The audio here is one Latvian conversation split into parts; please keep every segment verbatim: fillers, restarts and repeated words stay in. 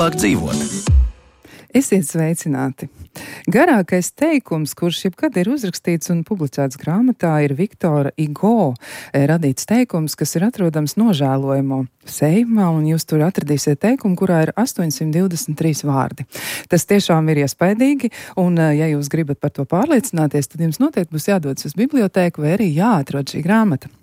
labāk dzīvot. Esiet sveicināti! Garākais teikums, kurš jebkad ir uzrakstīts un publicēts grāmatā, ir Viktora Hugo radīts teikums, kas ir atrodams nožēlojamo sējumā, un jūs tur atradīsiet teikumu, kurā ir astoņsimt divdesmit trīs vārdi. Tas tiešām ir iespaidīgi, un ja jūs gribat par to pārliecināties, tad jums noteikti būs jādodas uz bibliotēku vai arī jāatrod šī grāmata.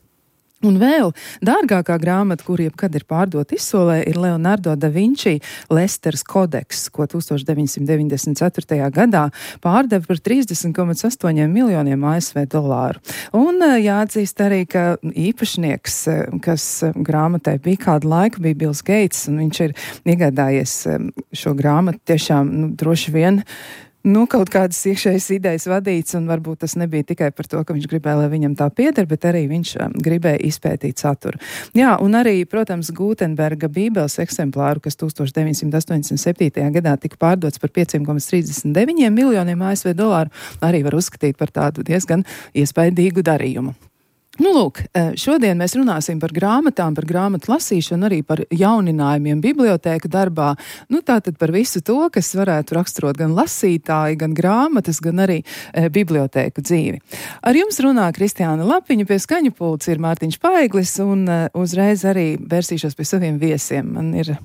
Un vēl dārgākā grāmata, kur jebkad ir pārdota izsolē, ir Leonardo da Vinci Lesters kodeks, ko tūkstoš deviņsimt deviņdesmit ceturtajā gadā pārdeva par trīsdesmit komats astoņi miljoniem A S V dolāru. Un jāatzīst arī, ka īpašnieks, kas grāmatai bija kādu laiku, bija Bills Gates, un viņš ir iegādājies šo grāmatu tiešām, nu, droši vien, Nu, kaut kādas iekšējas idejas vadīts, un varbūt tas nebija tikai par to, ka viņš gribēja, lai viņam tā pieder, bet arī viņš um, gribēja izpētīt saturu. Jā, un arī, protams, Gutenberga bībeles eksemplāru, kas tūkstoš deviņsimt astoņdesmit septītajā gadā tika pārdots par pieci komats trīsdesmit deviņi miljoniem A S V dolāru, arī var uzskatīt par tādu diezgan iespaidīgu darījumu. Nu, lūk, šodien mēs runāsim par grāmatām, par grāmatu lasīšanu, arī par jauninājumiem bibliotēku darbā. Nu, tātad par visu to, kas varētu raksturot gan lasītāji, gan grāmatas, gan arī e, bibliotēku dzīvi. Ar jums runā Kristiāna Lapiņa, pie skaņu pults ir Mārtiņš Paiglis, un e, uzreiz arī vērsīšos pie saviem viesiem. Man ir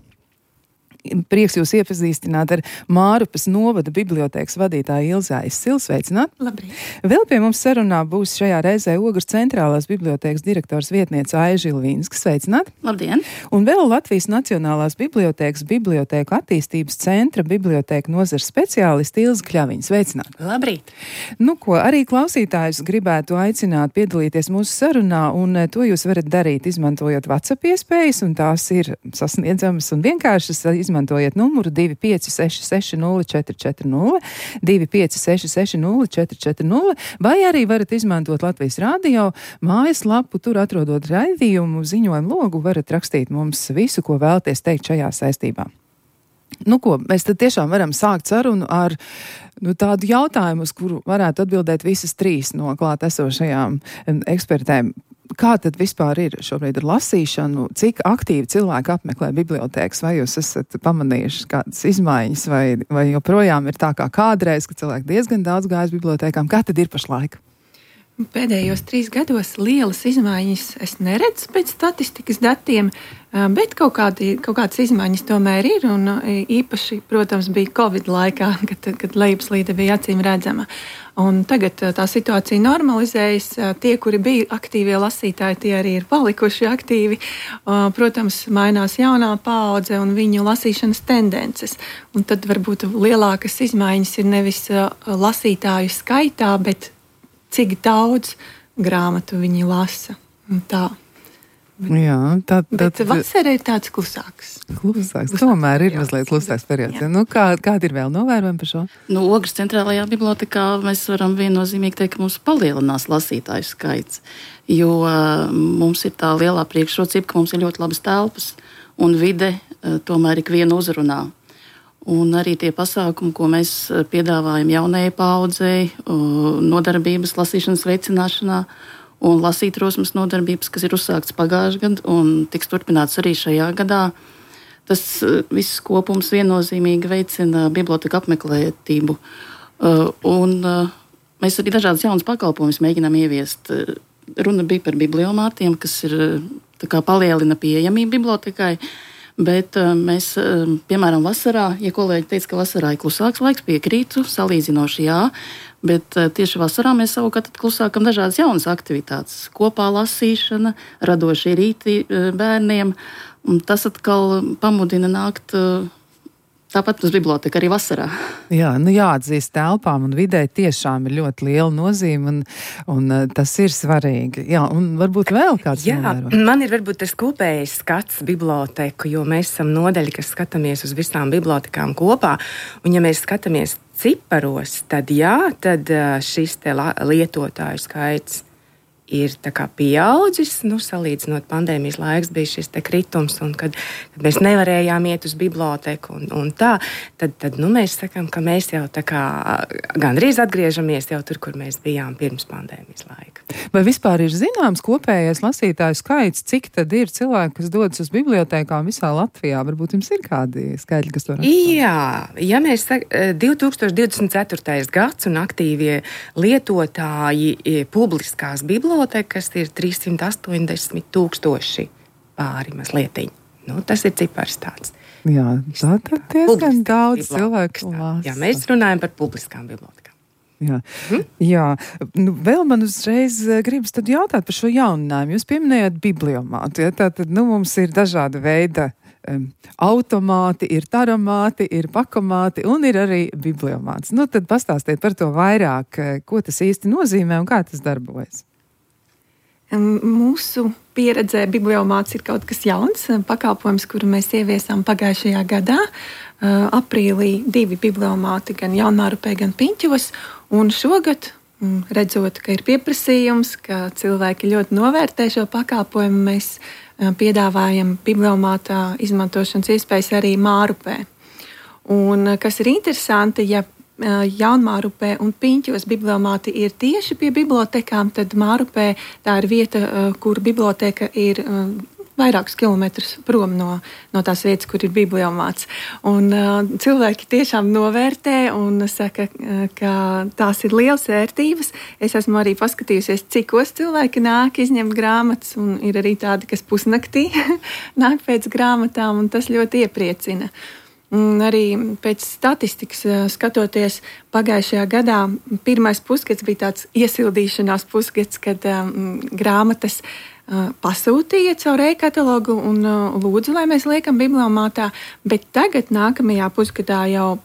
prieks jūs iepazīstināt ar Mārupas novada bibliotēkas vadītāju Ilzi Aizsilu. Sveicināt! Labrīt! Vēl pie mums sarunā būs šajā reizē Ogres centrālās bibliotēkas direktors vietniece Aiža Ilvīnska. Sveicināt! Labdien! Un vēl Latvijas Nacionālās bibliotēkas bibliotēku attīstības centra bibliotēku nozares speciālisti Ilze Kļaviņa. Sveicināt! Labrīt! Nu, ko arī klausītājus gribētu aicināt piedalīties mūsu sarunā, un to jūs varat darīt, izmantojot WhatsApp iespējas, un tās ir sasniedzamas un vienkāršas. Izmantojiet numuru divi pieci seši seši nulle četri četri nulle, divi pieci seši seši nulle četri četri nulle, vai arī varat izmantot Latvijas radio mājaslapu, tur atrodot raidījumu, ziņojumu logu, varat rakstīt mums visu, ko vēlaties teikt šajā saistībā. Nu ko, mēs tad tiešām varam sākt sarunu ar nu, tādu jautājumu, uz kuru varētu atbildēt visas trīs no klāt esošajām ekspertēm. Kā tad vispār ir šobrīd ar lasīšanu? Cik aktīvi cilvēki apmeklē bibliotēkas? Vai jūs esat pamanījuši kādas izmaiņas? Vai, vai joprojām ir tā kā kādreiz, ka cilvēki diezgan daudz gājas bibliotēkām? Kā tad ir pašlaik? Pēdējos trīs gados lielas izmaiņas es neredzu pēc statistikas datiem, bet kaut, kādi, kaut kādas izmaiņas tomēr ir, un īpaši, protams, bija Covid laikā, kad, kad lejupslīde bija acīm redzama. Un tagad tā situācija normalizējas, tie, kuri bija aktīvie lasītāji, tie arī ir palikuši aktīvi. Protams, mainās jaunā paudze un viņu lasīšanas tendences. Un tad varbūt lielākas izmaiņas ir nevis lasītāju skaitā, bet cik daudz grāmatu viņi lasa. Tā. Jā, tā, tā, Bet vasara ir tāds klusāks. Klusāks, tomēr ir mazliet klusāks periods. Nu, kā, kādi ir vēl novērojumi par šo? Nu, Ogres centrālajā bibliotekā mēs varam viennozīmīgi teikt, ka mums palielinās lasītāju skaits, jo uh, mums ir tā lielā priekšrocība, ka mums ir ļoti labas telpas un vide uh, tomēr ikvienu uzrunā. Un arī tie pasākumi, ko mēs piedāvājam jaunajai paaudzei, nodarbības lasīšanas veicināšanā un lasīt rosmas nodarbības, kas ir uzsākts pagājušajā gadā un tiks turpināts arī šajā gadā. Tas viss kopums viennozīmīgi veicina biblioteka apmeklētību. Un mēs arī dažādas jaunas pakalpojumus mēģinām ieviest. Runa bija par bibliomātiem, kas ir tā kā palielina pieejamību bibliotekai. Bet mēs, piemēram, vasarā, ja kolēģi teica, ka vasarā ir klusāks laiks, piekrītu, salīdzinoši jā, bet tieši vasarā mēs savukārt klusākam dažādas jaunas aktivitātes. Kopā lasīšana, radošie rīti bērniem, un tas atkal pamudina nākt tāpat uz biblioteka arī vasarā. Jā, nu jāatzīst, telpām un vidē tiešām ir ļoti liela nozīme, un, un tas ir svarīgi. Jā, un varbūt vēl kāds Jā, novērojums. Man ir varbūt tas kopējais skats biblioteku, jo mēs esam nodaļa, kas skatāmies uz visām bibliotekām kopā, un ja mēs skatāmies ciparos, tad jā, tad šis te lietotāju skaits ir tā kā pieaudzis, nu, salīdzinot pandēmijas laiks bija šis te kritums, un kad, kad mēs nevarējām iet uz biblioteku un, un tā, tad, tad nu, mēs sakām, ka mēs jau tā kā gandrīz atgriežamies jau tur, kur mēs bijām pirms pandēmijas laika. Vai vispār ir zināms kopējais lasītāju skaits, cik tad ir cilvēki, kas dodas uz bibliotēkām visā Latvijā? Varbūt jums ir kādi skaitļi, kas to raksta? Jā, ja mēs sakām, divi tūkstoši divdesmit ceturtais gads un aktīvie lietotāji publiskās bibliotekas ir trīssimt astoņdesmit tūkstoši pāri mazlietiņi. Nu, tas ir cipars tāds. Jā, tā tad diezgan daudz cilvēku lasa. Jā, mēs runājam par publiskām bibliotekām. Jā, hmm? Jā. Nu, vēl man uzreiz gribas tad jautāt par šo jauninājumu. Jūs pieminējāt bibliomātu. Ja? Tātad, nu, mums ir dažāda veida um, automāti, ir taramāti, ir pakomāti un ir arī bibliomāts. Nu, tad pastāstiet par to vairāk, ko tas īsti nozīmē un kā tas darbojas. Mūsu pieredzē bibliomāts ir kaut kas jauns, pakalpojums, kuru mēs ieviesām pagājušajā gadā. Aprīlī divi bibliomāti, gan Jaunmārupē, gan Piņķos. Un šogad, redzot, ka ir pieprasījums, ka cilvēki ļoti novērtē šo pakalpojumu, mēs piedāvājam bibliomātā izmantošanas iespējas arī Mārupē. Un kas ir interesanti, ja Jaunmārupē un Piņķos bibliomāti ir tieši pie bibliotekām, tad Mārupē tā ir vieta, kur biblioteka ir vairākus kilometrus prom no, no tās vietas, kur ir bibliomāts. Un uh, cilvēki tiešām novērtē un saka, ka tās ir lielas vērtības. Es esmu arī paskatījusies, cikos cilvēki nāk izņemt grāmatas, un ir arī tādi, kas pusnaktī nāk pēc grāmatām, un tas ļoti iepriecina. Un arī pēc statistikas skatoties, pagājušajā gadā pirmais pusgads bija tāds iesildīšanās pusgads, kad um, grāmatas uh, pasūtīja caur e-katalogu un uh, lūdzu, lai mēs liekam bibliomātā, bet tagad nākamajā pusgadā jau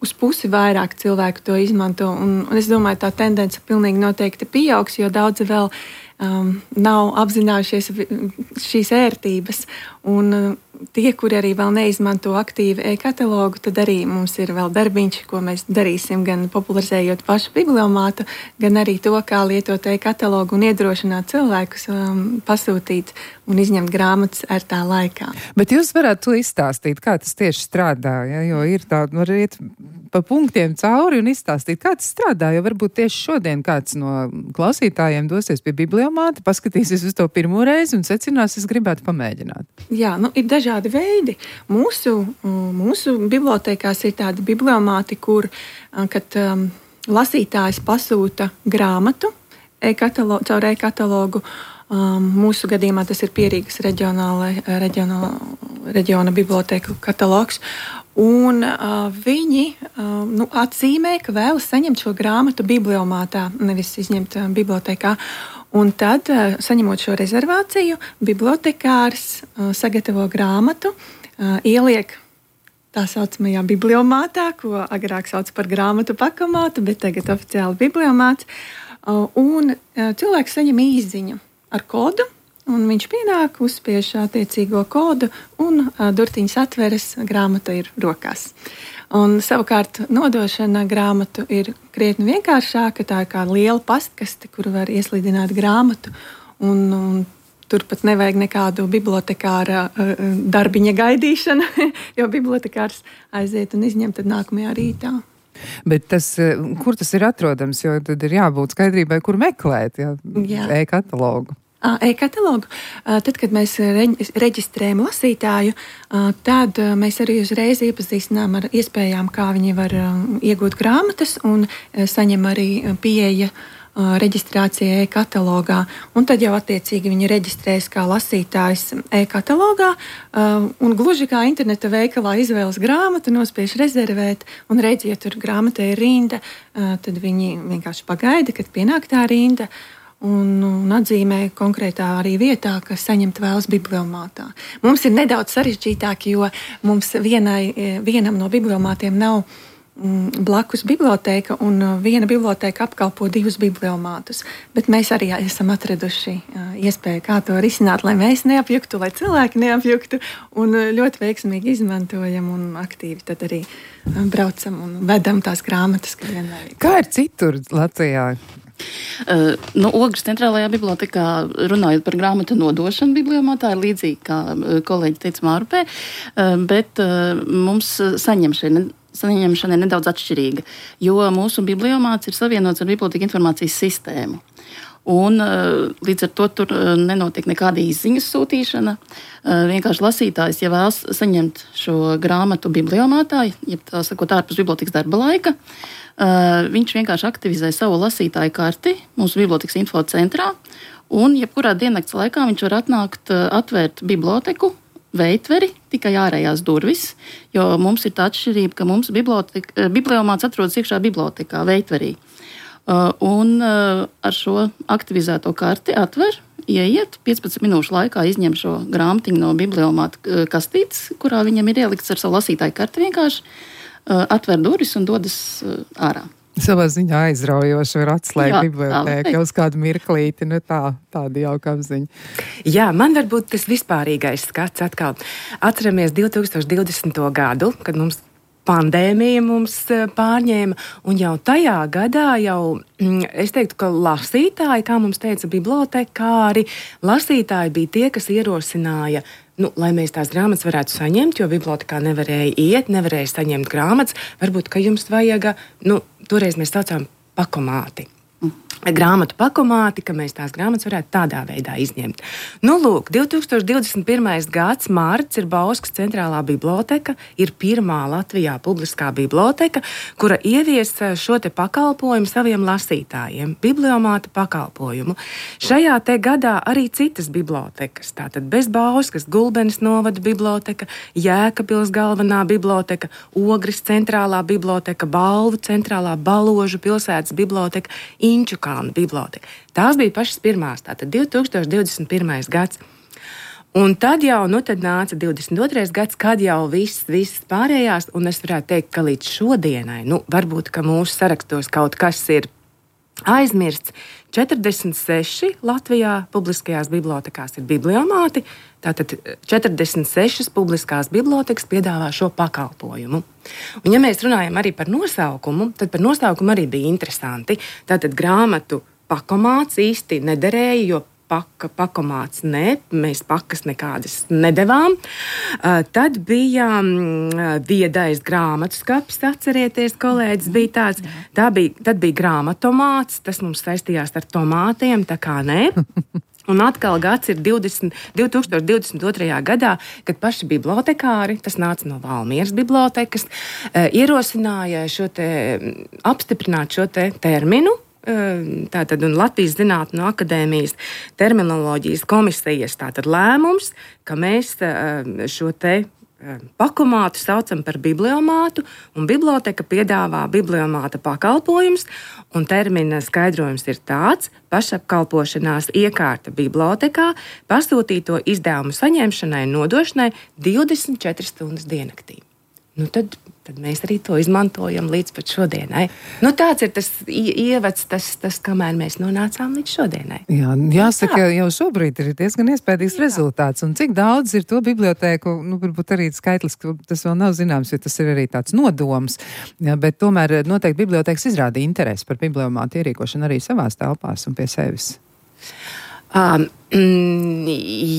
uz pusi vairāk cilvēku to izmanto, un, un es domāju, tā tendence pilnīgi noteikti pieaugs, jo daudzi vēl um, nav apzinājušies šīs ērtības, un uh, tie, kuri arī vēl neizmanto aktīvi e-katalogu, tad arī mums ir vēl darbiņš, ko mēs darīsim, gan popularizējot pašu bibliomātu, gan arī to, kā lietot e-katalogu un iedrošināt cilvēkus um, pasūtīt un izņemt grāmatas ar tā laikā. Bet jūs varētu to izstāstīt, kā tas tieši strādā, ja? Jo ir tā, var iet pa punktiem cauri un izstāstīt, kā tas strādā, jo varbūt tieši šodien kāds no klausītājiem dosies pie bibliomāta, paskatīsies uz to pirmo reizi un secinās, es gribētu pamēģināt. Jā, nu ir dažādi veidi. Mūsu, mūsu bibliotekās ir tādi bibliomāti, kur, kad um, lasītājs pasūta grāmatu e-katalogu, caur e-katalogu, um, mūsu gadījumā tas ir Pierīgas reģionāla, reģionāla, reģiona biblioteka katalogs, un uh, viņi uh, nu, atzīmē, ka vēlas saņemt šo grāmatu bibliomātā, nevis izņemt uh, bibliotekā. Un tad, uh, saņemot šo rezervāciju, bibliotekārs uh, sagatavo grāmatu, uh, ieliek tā saucamajā bibliomātā, ko agrāk sauc par grāmatu pakomātu, bet tagad oficiāli bibliomāts. Uh, un uh, cilvēks saņem īsziņu ar kodu, un viņš pienāk, uzspiež attiecīgo kodu, un uh, durtiņas atveras, grāmata ir rokās. Un savukārt nodošana grāmatu ir krietni vienkāršāka, tā ir kā liela pastkaste, kur var ieslidināt grāmatu, un, un tur pat nevajag nekādu bibliotekāra uh, darbiņa gaidīšanu, jo bibliotekārs aiziet un izņem tad nākamajā rītā. Bet tas, kur tas ir atrodams, jo tad ir jābūt skaidrībai, kur meklēt, ja, Jā. e-katalogu. E-katalogu. Tad, kad mēs reģistrējam lasītāju, tad mēs arī uzreiz iepazīstinām ar iespējām, kā viņi var iegūt grāmatas, un saņem arī pieeja reģistrācija e-katalogā. Un tad jau attiecīgi viņi reģistrējas kā lasītājs e-katalogā, un gluži kā interneta veikalā izvēlas grāmatu, nospiež rezervēt, un redz, ja tur grāmatā ir rinda, tad viņi vienkārši pagaida, kad pienāk tā rinda, Un, un atzīmē konkrētā arī vietā, kas saņemt vēlas bibliomātā. Mums ir nedaudz sarežģītāk, jo mums vienai, vienam no bibliomātiem nav mm, blakus biblioteka, un viena biblioteka apkalpo divus bibliomātus. Bet mēs arī esam atraduši uh, iespēju, kā to risināt, lai mēs neapjuktu, lai cilvēki neapjuktu, un ļoti veiksmīgi izmantojam un aktīvi tad arī uh, braucam un vedam tās grāmatas, kad vienmēr. Kā ir citur Latvijā? Uh, nu, Ogres centrālajā bibliotekā, runājot par grāmatu nodošanu bibliomātā, ir līdzīgi, kā kolēģi teica Mārupē, uh, bet uh, mums saņemšana, saņemšana ir nedaudz atšķirīga, jo mūsu bibliomāts ir savienots ar biblioteka informācijas sistēmu. Un, līdz ar to tur nenotiek nekāda izziņas sūtīšana. Vienkārši lasītājs, ja vēlas saņemt šo grāmatu bibliomātā, ja tā sakot, ārpus bibliotekas darba laika, viņš vienkārši aktivizē savu lasītāju karti mūsu bibliotekas info centrā, un jebkurā diennakts laikā viņš var atnākt, atvērt biblioteku, veitveri, tikai ārējās durvis, jo mums ir tā atšķirība, ka mums bibliomāts atrodas iekšā bibliotekā, veitverī. Uh, un uh, ar šo aktivizēto karti atver, ieiet, piecpadsmit minūšu laikā izņem šo grāmatiņu no bibliomāta uh, kastītes, kurā viņam ir ielikts ar savu lasītāju karti vienkārši, uh, atver durvis un dodas uh, ārā. Savā ziņā aizraujoši var atslēgt bibliotēku jau uz kādu mirklīti, nu tā, tāda jauka apziņa. Jā, man varbūt tas vispārīgais skats atkal. Atceramies divtūkstoš divdesmito gadu, kad mums pandēmija mums pārņēma, un jau tajā gadā jau, es teiktu, ka lasītāji, kā mums teica bibliotekāri, lasītāji bija tie, kas ierosināja, nu, lai mēs tās grāmatas varētu saņemt, jo bibliotekā nevarēja iet, nevarēja saņemt grāmatas, varbūt, ka jums vajaga, nu, toreiz mēs saucām pakomāti. Grāmatu pakomāti, ka mēs tās grāmatas varētu tādā veidā izņemt. Nu, lūk, divtūkstoš divdesmit pirmais gads, mārts, ir Bauskas centrālā biblioteka, ir pirmā Latvijā publiskā biblioteka, kura ievies šo te pakalpojumu saviem lasītājiem, bibliomāta pakalpojumu. Šajā te gadā arī citas bibliotekas, tātad bez Bauskas, Gulbenes novada biblioteka, Jēkabpils galvenā biblioteka, Ogres centrālā biblioteka, Balvu centrālā, Baložu pilsētas biblioteka, Inčukā biblioteka. Tās bija pašas pirmās, tātad divtūkstoš divdesmit pirmais gads. Un tad jau, nu tad nāca divdesmit otrais gads, kad jau viss, viss pārējās, un es varētu teikt, ka līdz šodienai, nu, varbūt, ka mūsu sarakstos kaut kas ir aizmirsts. četrdesmit seši Latvijā publiskajās bibliotekās ir bibliomāti, tātad četrdesmit sešas publiskās bibliotekas piedāvā šo pakalpojumu. Un ja mēs runājam arī par nosaukumu, tad par nosaukumu arī bija interesanti. Tātad grāmatu pakomāts īsti nederēja, jo paka, pakomāts ne, mēs pakas nekādas nedevām. Uh, tad bija um, viedais grāmatu skapis, atcerieties, kolēģis bija tāds. Tā bija, tad bija grāmatomāts, tas mums saistījās ar tomātiem, tā kā ne. Un atkal gads ir divdesmit, divtūkstoš divdesmit otrajā gadā, kad paši bibliotekāri, tas nāca no Valmieras bibliotekas, uh, ierosināja šo te, apstiprināt šo te terminu. Tātad un Latvijas Zinātņu akadēmijas terminoloģijas komisijas tātad lēmums, ka mēs šo te pakomātu saucam par bibliomātu, un biblioteka piedāvā bibliomāta pakalpojums, un termina skaidrojums ir tāds: pašapkalpošanās iekārta bibliotekā, pasūtīto izdevumu saņemšanai un nodošanai divdesmit četras stundas diennaktī. Nu tad, tad mēs arī to izmantojam līdz pat šodienai. Nu, tāds ir tas ievads, tas, tas, kamēr mēs nonācām līdz šodienai. Jā, jāsaka, jau šobrīd ir diezgan iespējams rezultāts. Un cik daudz ir to bibliotēku, nu, varbūt arī skaitlis, tas vēl nav zināms, jo tas ir arī tāds nodoms. Jā, bet tomēr noteikti bibliotēkas izrāda interesi par bibliomātu ierīkošanu arī savās telpās un pie sevis. Um, mm,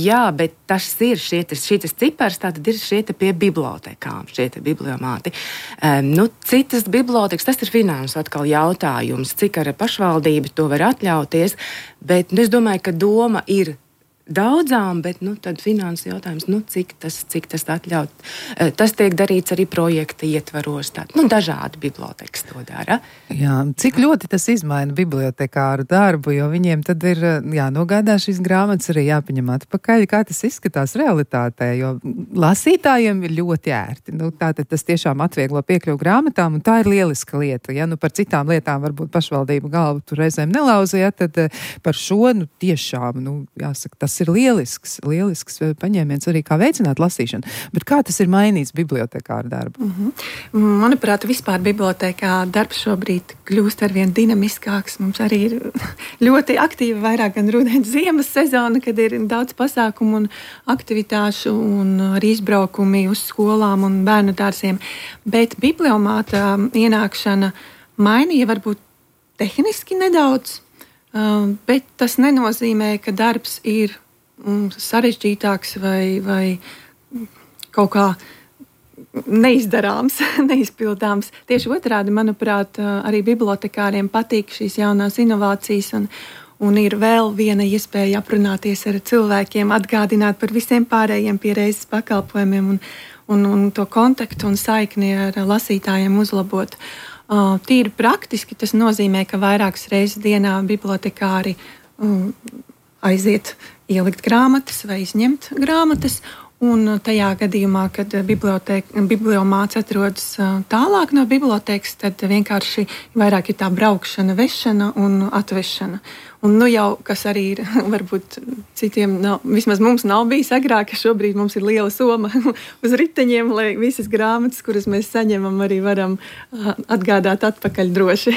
jā, bet tas ir šitas, šitas cipars, tātad ir šieta pie bibliotekām, šieta bibliomāti. Um, nu, citas bibliotekas, tas ir finansu atkal jautājums, cik ar pašvaldību to var atļauties, bet nu, es domāju, ka doma ir daudzām, bet nu, tad finansu jautājums, nu, cik tas, cik tas atļaut. Tas tiek darīts arī projekta ietvaros. Tā, nu, dažādi bibliotekas to dara. Jā, cik ļoti tas izmaina bibliotekāru darbu, jo viņiem tad ir jānogādā šīs grāmatas arī jāpaņem atpakaļ, kā tas izskatās realitātē, jo lasītājiem ir ļoti ērti. Nu, tātad tas tiešām atvieglo piekļuvu grāmatām, un tā ir lieliska lieta. Ja nu par citām lietām varbūt pašvaldību galvu tur reizēm nelauza, ja, tad par šo, nu, tiešām, nu, jāsaka, tas ir lielisks, lielisks paņēmiens arī kā veicināt lasīšanu. Bet kā tas ir mainījis bibliotekāru darbu? Mm-hmm. Manuprāt, vispār bibliotekā darbs šobrīd kļūst arvien dinamiskāks. Mums arī ir ļoti aktīva vairāk gan rudens ziemas sezona, kad ir daudz pasākumu un aktivitāšu un arī izbraukumi uz skolām un bērnu dārziem. Bet bibliomāta ienākšana mainīja varbūt tehniski nedaudz. bet tas nenozīmē, ka darbs ir sarežģītāks vai, vai kaut kā neizdarāms, neizpildāms. Tieši otrādi, manuprāt, arī bibliotekāriem patīk šīs jaunās inovācijas un, un ir vēl viena iespēja aprunāties ar cilvēkiem, atgādināt par visiem pārējiem pie reizes pakalpojumiem un, un, un to kontaktu un saikni ar lasītājiem uzlabot. Uh, tīri praktiski tas nozīmē, ka vairākas reizes dienā bibliotekāri um, aiziet ielikt grāmatas vai izņemt grāmatas. Un tajā gadījumā, kad bibliomāts atrodas tālāk no bibliotēkas, tad vienkārši vairāk ir tā braukšana, vešana un atvešana. Un nu jau, kas arī ir, varbūt citiem, nav, vismaz mums nav bijis agrāk, ka šobrīd mums ir liela soma uz riteņiem, lai visas grāmatas, kuras mēs saņemam, arī varam atgādāt atpakaļ droši.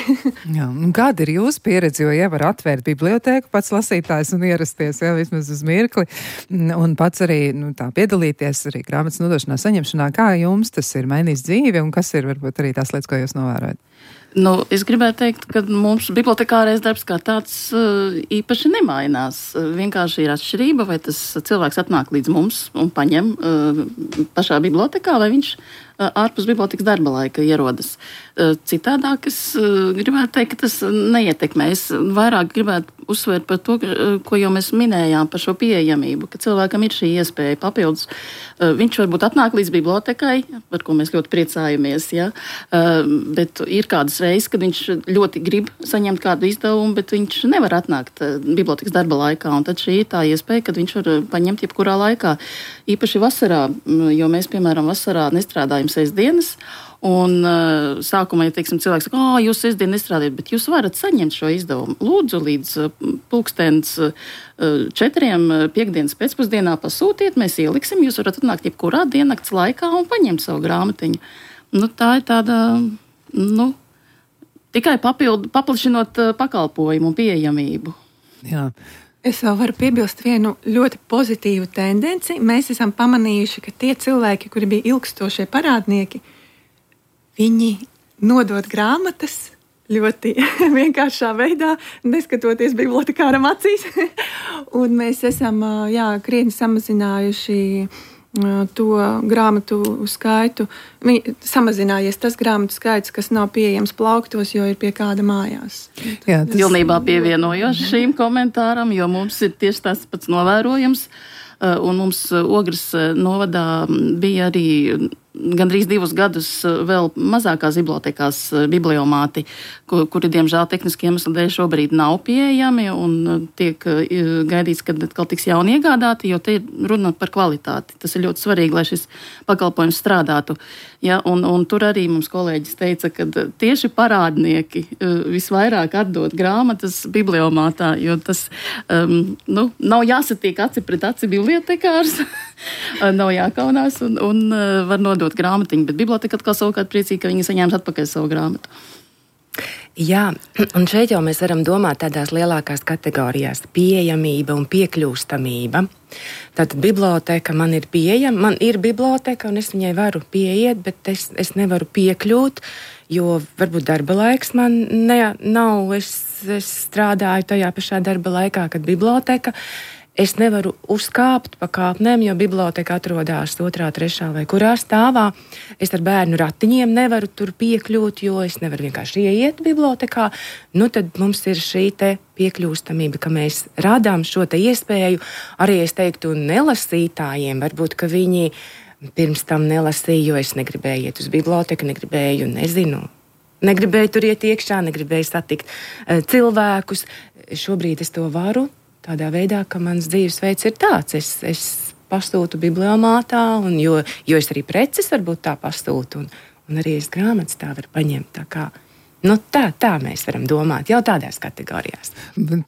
Jā, un kāda ir jūsu pieredze, jo ja var atvērt bibliotēku pats lasītājs un ierasties, jā, vismaz uz mirkli, un pats arī, nu, tā piedalīties arī grāmatas nodošanā, saņemšanā, kā jums tas ir mainījis dzīvi un kas ir varbūt arī tās lietas, ko jūs novērojat? Nu, es gribētu teikt, ka mums bibliotekārais darbs kā tāds īpaši nemainās. Vienkārši ir atšķirība, vai tas cilvēks atnāk līdz mums un paņem pašā bibliotekā, vai viņš ārpus bibliotekas darba laika ierodas. Citādāk es gribētu teikt, ka tas neietekmē. Es vairāk gribētu uzsvērt par to, ko jau mēs minējām par šo pieejamību, ka cilvēkam ir šī iespēja papildus. Viņš varbūt atnāk līdz bibliotekai, par ko mēs ļoti priecājamies, ja? Bet ir kādas reizes, kad viņš ļoti grib saņemt kādu izdevumu, bet viņš nevar atnākt bibliotekas darba laikā, un tad šī ir tā iespēja, kad viņš var paņemt jebkurā laikā. Īpaši vasarā, jo mēs, piemēram, vasarā nestrādājam sestdienas, un uh, sākumā, ja teiksim, cilvēks saka, ā, jūs sestdien nestrādājat, bet jūs varat saņemt šo izdevumu. Lūdzu, līdz uh, pulkstens uh, četriem uh, piekdienas pēcpusdienā pasūtiet, mēs ieliksim, jūs varat atnākt jebkurā diennakts laikā un paņemt savu grāmatiņu. Nu, tā ir tāda, nu, tikai papildu, paplašinot uh, pakalpojumu un pieejamību. Jā. Es vēl varu piebilst vienu ļoti pozitīvu tendenci. Mēs esam pamanījuši, ka tie cilvēki, kuri bija ilgstošie parādnieki, viņi nodod grāmatas ļoti vienkāršā veidā, neskatoties bibliotekāram acīs. Un mēs esam jā, krietni samazinājuši to grāmatu skaitu. Viņi, samazinājies tas grāmatu skaits, kas nav pieejams plauktos, jo ir pie kāda mājās. Jā, tas... Pilnībā pievienojos šīm komentāram, jo mums ir tieši tas pats novērojams. Un mums Ogres novadā bija arī gandrīz divus gadus vēl mazākās bibliotekās bibliomāti, kuri, diemžēl, tehniski iemesli dēļ šobrīd nav pieejami un tiek gaidīts, kad atkal tiks jauni iegādāti, jo te ir runa par kvalitāti. Tas ir ļoti svarīgi, lai šis pakalpojums strādātu. Ja, un, un tur arī mums kolēģis teica, ka tieši parādnieki visvairāk atdod grāmatas bibliomātā, jo tas um, nu, nav jāsatiek aci pret aci bibliotekārs, nav jākaunās un, un var nodot grāmatiņu, bet biblioteka atkal savukārt priecīgi, ka viņi saņēma atpakaļ savu grāmatu. Jā, un šeit jau mēs varam domāt tādās lielākās kategorijās - pieejamība un piekļūstamība. Tātad biblioteka man ir pieejama, man ir biblioteka un es viņai varu pieiet, bet es, es nevaru piekļūt, jo varbūt darba laiks man ne, nav, es, es strādāju tajā pašā darba laikā, kad biblioteka. Es nevaru uzkāpt pa kāpnēm, jo biblioteka atrodas otrā, trešā vai kurā stāvā. Es ar bērnu ratiņiem nevaru tur piekļūt, jo es nevaru vienkārši ieiet bibliotekā. Nu, tad mums ir šī te piekļūstamība, ka mēs radām šo te iespēju arī, es teiktu, nelasītājiem. Varbūt, ka viņi pirms tam nelasīja, jo es negribēju iet uz biblioteku, negribēju, nezinu, negribēju tur iet iekšā, negribēju satikt uh, cilvēkus. Šobrīd es to varu. Tādā veidā, ka mans dzīvesveids ir tāds, es, es pasūtu bibliomātā, un jo, jo es arī preces varbūt tā pasūtu, un, un arī es grāmatas tā varu paņemt. Tā kā, nu tā, tā mēs varam domāt, jau tādās kategorijās.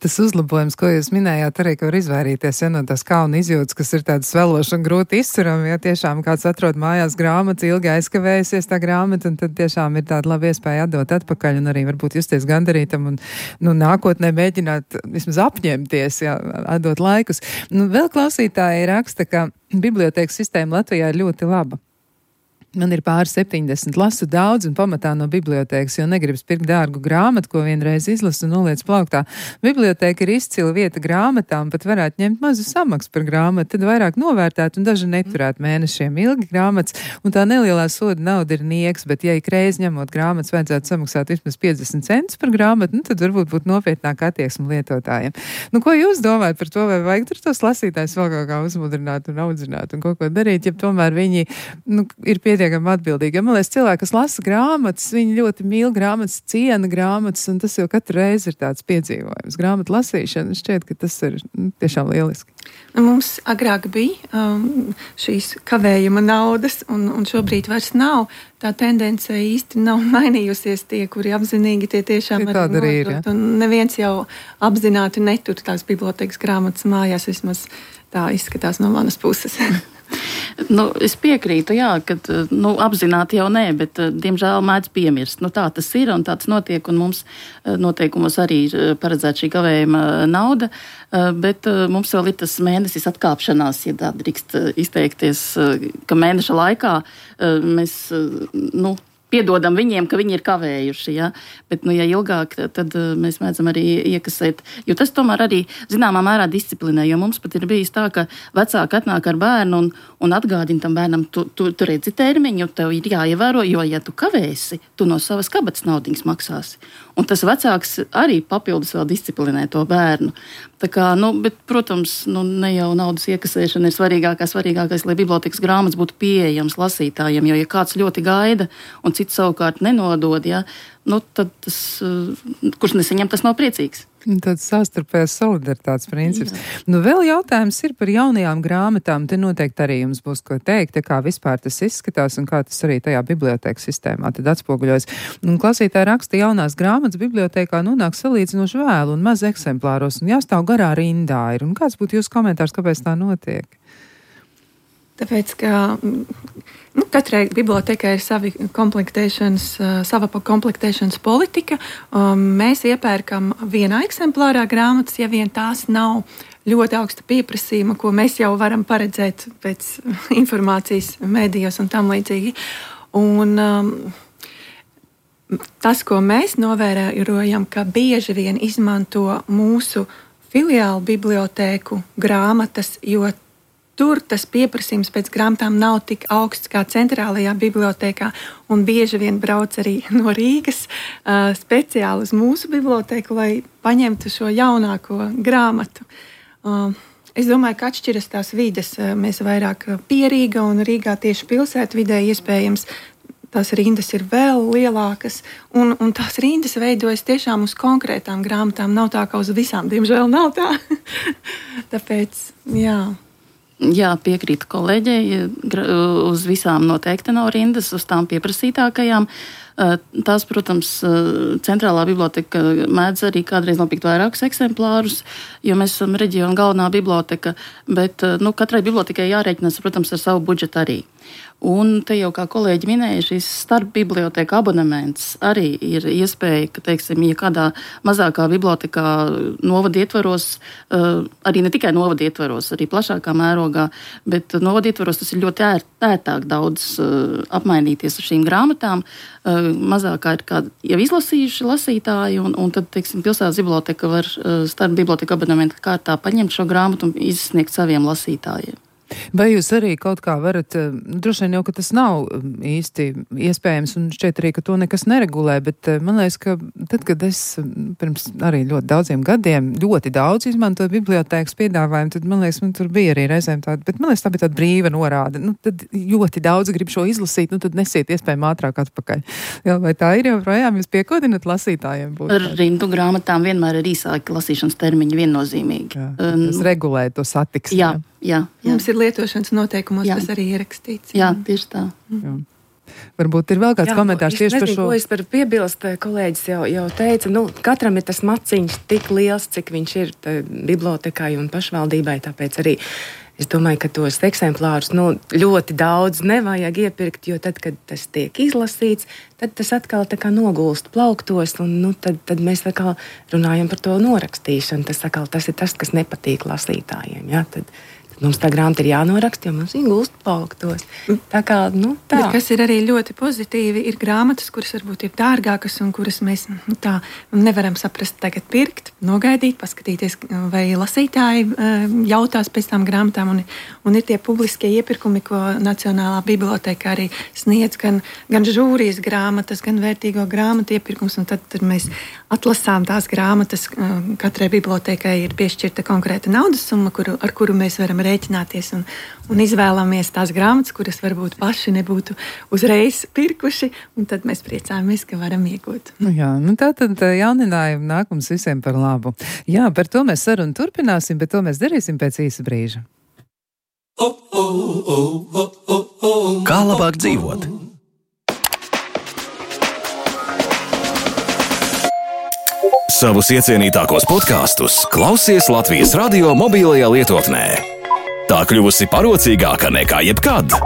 Tas uzlabojums, ko jūs minējāt, arī, ka var izvairīties ja, no tās kauna izjūtas, kas ir tādas svelošas un grūti izturami, ja tiešām kāds atrod mājās grāmatas, ilgi aizkavējusies tā grāmata, un tad tiešām ir tāda laba iespēja atdot atpakaļ un arī varbūt justies gandarītam un nu, nākotnē mēģināt vismaz apņemties, ja, atdot laikus. Nu, vēl klausītāji raksta, ka bibliotēkas sistēma Latvijā ir ļoti laba. Man ir pār septiņdesmit, lasu daudz un pamatā no bibliotēkas, jo negribas pirkt dārgu grāmatu, ko vienreiz izlasu un noliec plauktā. Bibliotēka ir izcila vieta grāmatām, pat varētu ņemt mazu samaksu par grāmatu, tad vairāk novērtēt un daži neturēt mēnešiem ilgi grāmatas, un tā nelielā soda nauda ir nieks, bet ja ik reiz ņemot grāmatas vajadzētu samaksāt vismaz piecdesmit centus par grāmatu, nu tad varbūt būtu nopietnāk attieksme lietotājiem. Nu, ko jūs domājat par to, vai vajag tur tos lasītājs vēl kaut kā uzmudrināt un audzināt un kaut ko darīt, ja tomēr viņi, nu, ir pietiekami atbildīgi. Man liekas, cilvēki, kas lasa grāmatas, viņi ļoti mīl grāmatas, ciena grāmatas, un tas jau katru reizi ir tāds piedzīvojums. Grāmatu lasīšana, šķiet, ka tas ir nu, tiešām lieliski. Mums agrāk bija um, šīs kavējuma naudas, un, un šobrīd vairs nav. Tā tendence īsti nav mainījusies. Tie, kuri apzinīgi, tie tiešām ja arī nodot. ir, ja? Un neviens jau apzināti netur tās bibliotēkas grāmatas mājās, vismaz tā izskatās no manas puses. Nu, es piekrītu, jā, ka nu, apzināti jau nē, bet diemžēl mēdz piemirst. Nu, tā tas ir un tāds notiek, un mums noteikumos arī ir paredzēta šī kavējuma nauda, bet mums vēl ir tas mēnesis atkāpšanās, ja tā drīkst izteikties, ka mēneša laikā mēs, nu, piedodam viņiem, ka viņi ir kavējuši, ja? Bet, nu, ja ilgāk, tad mēs mēdzam arī iekasēt, jo tas tomēr arī zināmā mērā disciplinē, jo mums pat ir bijis tā, ka vecāki atnāk ar bērnu un, un atgādina tam bērnam, tu, tu, tu redzi termiņu, tev ir jāievēro, jo, ja tu kavēsi, tu no savas kabatas naudiņas maksāsi. Un tas vecāks arī papildus vēl disciplinē to bērnu. Tā kā, nu, bet, protams, nu, ne jau naudas iekasēšana ir svarīgākā, svarīgākais, lai bibliotekas grāmatas būtu pieejams lasītājiem, jo, ja kāds ļoti gaida un cits savukārt nenodod, ja, nu, tad tas, kurš nesaņem, tas nav priecīgs. Tāds savstarpējās solidaritātes princips. Jā. Nu, vēl jautājums ir par jaunajām grāmatām. Te noteikti arī jums būs ko teikt, kā vispār tas izskatās un kā tas arī tajā bibliotēkas sistēmā tad atspoguļojas. Un klasītāji raksta, jaunās grāmatas bibliotēkā nonāk salīdzinoši vēlu un maz eksemplāros un jāstāv garā rindā ir. Un kāds būtu jūsu komentārs, kāpēc tā notiek? Tāpēc, ka nu, katrai bibliotekai ir savi komplektēšanas, sava komplektēšanas politika. Mēs iepērkam vienā eksemplārā grāmatas, ja vien tās nav ļoti augsta pieprasījuma, ko mēs jau varam paredzēt pēc informācijas mēdījos un tam līdzīgi. Un um, tas, ko mēs novērojam, ka bieži vien izmanto mūsu filiālu bibliotēku grāmatas, jo tur tas pieprasījums pēc grāmatām nav tik augsts kā centrālajā bibliotēkā, un bieži vien brauc arī no Rīgas uh, speciāli uz mūsu bibliotēku, lai paņemtu šo jaunāko grāmatu. Uh, es domāju, ka atšķiras tās vides. Uh, mēs vairāk pie Rīga un Rīgā tieši pilsētvidē iespējams tās rindas ir vēl lielākas, un, un tās rindas veidojas tiešām uz konkrētām grāmatām. Nav tā, ka uz visām, diemžēl, nav tā. Tāpēc, jā. Jā, piekrītu kolēģei, uz visām noteikti nav rindas, uz tām pieprasītākajām. Tās, protams, centrālā biblioteka mēdz arī kādreiz nopirkt vairākus eksemplārus, jo mēs esam reģiona galvenā biblioteka, bet nu, katrai bibliotekai jārēķinās, protams, ar savu budžetu arī. Un te jau, kā kolēģi minēja, šis starp biblioteka abonements arī ir iespēja, ka, teiksim, ja kādā mazākā bibliotekā novada ietvaros, arī ne tikai novada ietvaros, arī plašākā mērogā, bet novada ietvaros tas ir ļoti ērt, ērtāk daudz apmainīties ar šīm grāmatām. Mazākā ir kādi jau izlasījuši lasītāji, un, un tad, teiksim, pilsētas biblioteka var starp biblioteka abonementa kārtā paņemt šo grāmatu un izsniegt saviem lasītājiem. Vai jūs arī kaut kā varat, droši vien jau, ka tas nav īsti iespējams, un šķiet arī, ka to nekas neregulē, bet man liekas, ka tad, kad es pirms arī ļoti daudziem gadiem ļoti daudz izmantoju bibliotēkas piedāvājumu, tad man liekas, man tur bija arī reizēm tāda, bet man liekas, tā bija tāda brīva norāde. Nu, tad ļoti daudz grib šo izlasīt, nu tad nesiet iespējami ātrāk atpakaļ. Jā, vai tā ir joprojām? Jūs piekodinat lasītājiem? Ar rindu grāmatām vienmēr ir īsāki lasīšanas termiņi viennozīmīgi. Jā, tas regulē to satiksmi. Jā. Jā, jā. Mums ir lietošanas noteikumos, jā. Tas arī ierakstīts. Jā, tieši tā. Jā. Varbūt ir vēl kāds jā, komentārs tieši nezinu, par šo. Ko es par piebilst, kolēģis jau, jau teica, nu, katram ir tas maciņš tik liels, cik viņš ir bibliotekai un pašvaldībai, tāpēc arī es domāju, ka tos eksemplārus nu, ļoti daudz nevajag iepirkt, jo tad, kad tas tiek izlasīts, tad tas atkal tā kā nogulst plauktos, un nu, tad, tad mēs atkal runājam par to norakstīšanu. Tas, atkal, tas ir tas, kas nepatīk lasītājiem. Ja? Tad, tad mums tā grāmata ir jānoraksta, jo mums viņa gulst plauktos. Tā kā, nu, tā. Bet kas ir arī ļoti pozitīvi, ir grāmatas, kuras varbūt ir dārgākas un kuras mēs nu, tā nevaram saprast tagad pirkt, nogaidīt, paskatīties, vai lasītāji jautās pēc tām grāmatām. Un, un ir tie publiskie iepirkumi, ko Nacionālā biblioteka arī sniedz, gan, gan žūrijas grāmatas, gan vērtīgo grāmatu iepirkums. Un tad, tad mēs atlasām tās grāmatas. Katrai bibliotekai ir piešķirta konkrēta naudas summa, kuru, ar kuru mēs varam rēķināties un, un izvēlamies tās grāmatas, kuras varbūt paši nebūtu uzreiz pirkuši, un tad mēs priecājamies, ka varam iegūt. Jā, nu tā tad jauninājumi nāk mums visiem par labu. Jā, par to mēs sarunu turpināsim, bet to mēs darīsim pēc īsa brīža. Kā labāk dzīvot? Savus iecienītākos podkastus klausies Latvijas radio mobilajā lietotnē. Tā kļuvusi parocīgāka nekā jebkad.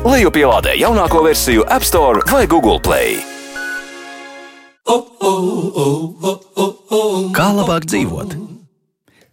Lejupielādē jaunāko versiju App Store vai Google Play. Kā labāk dzīvot?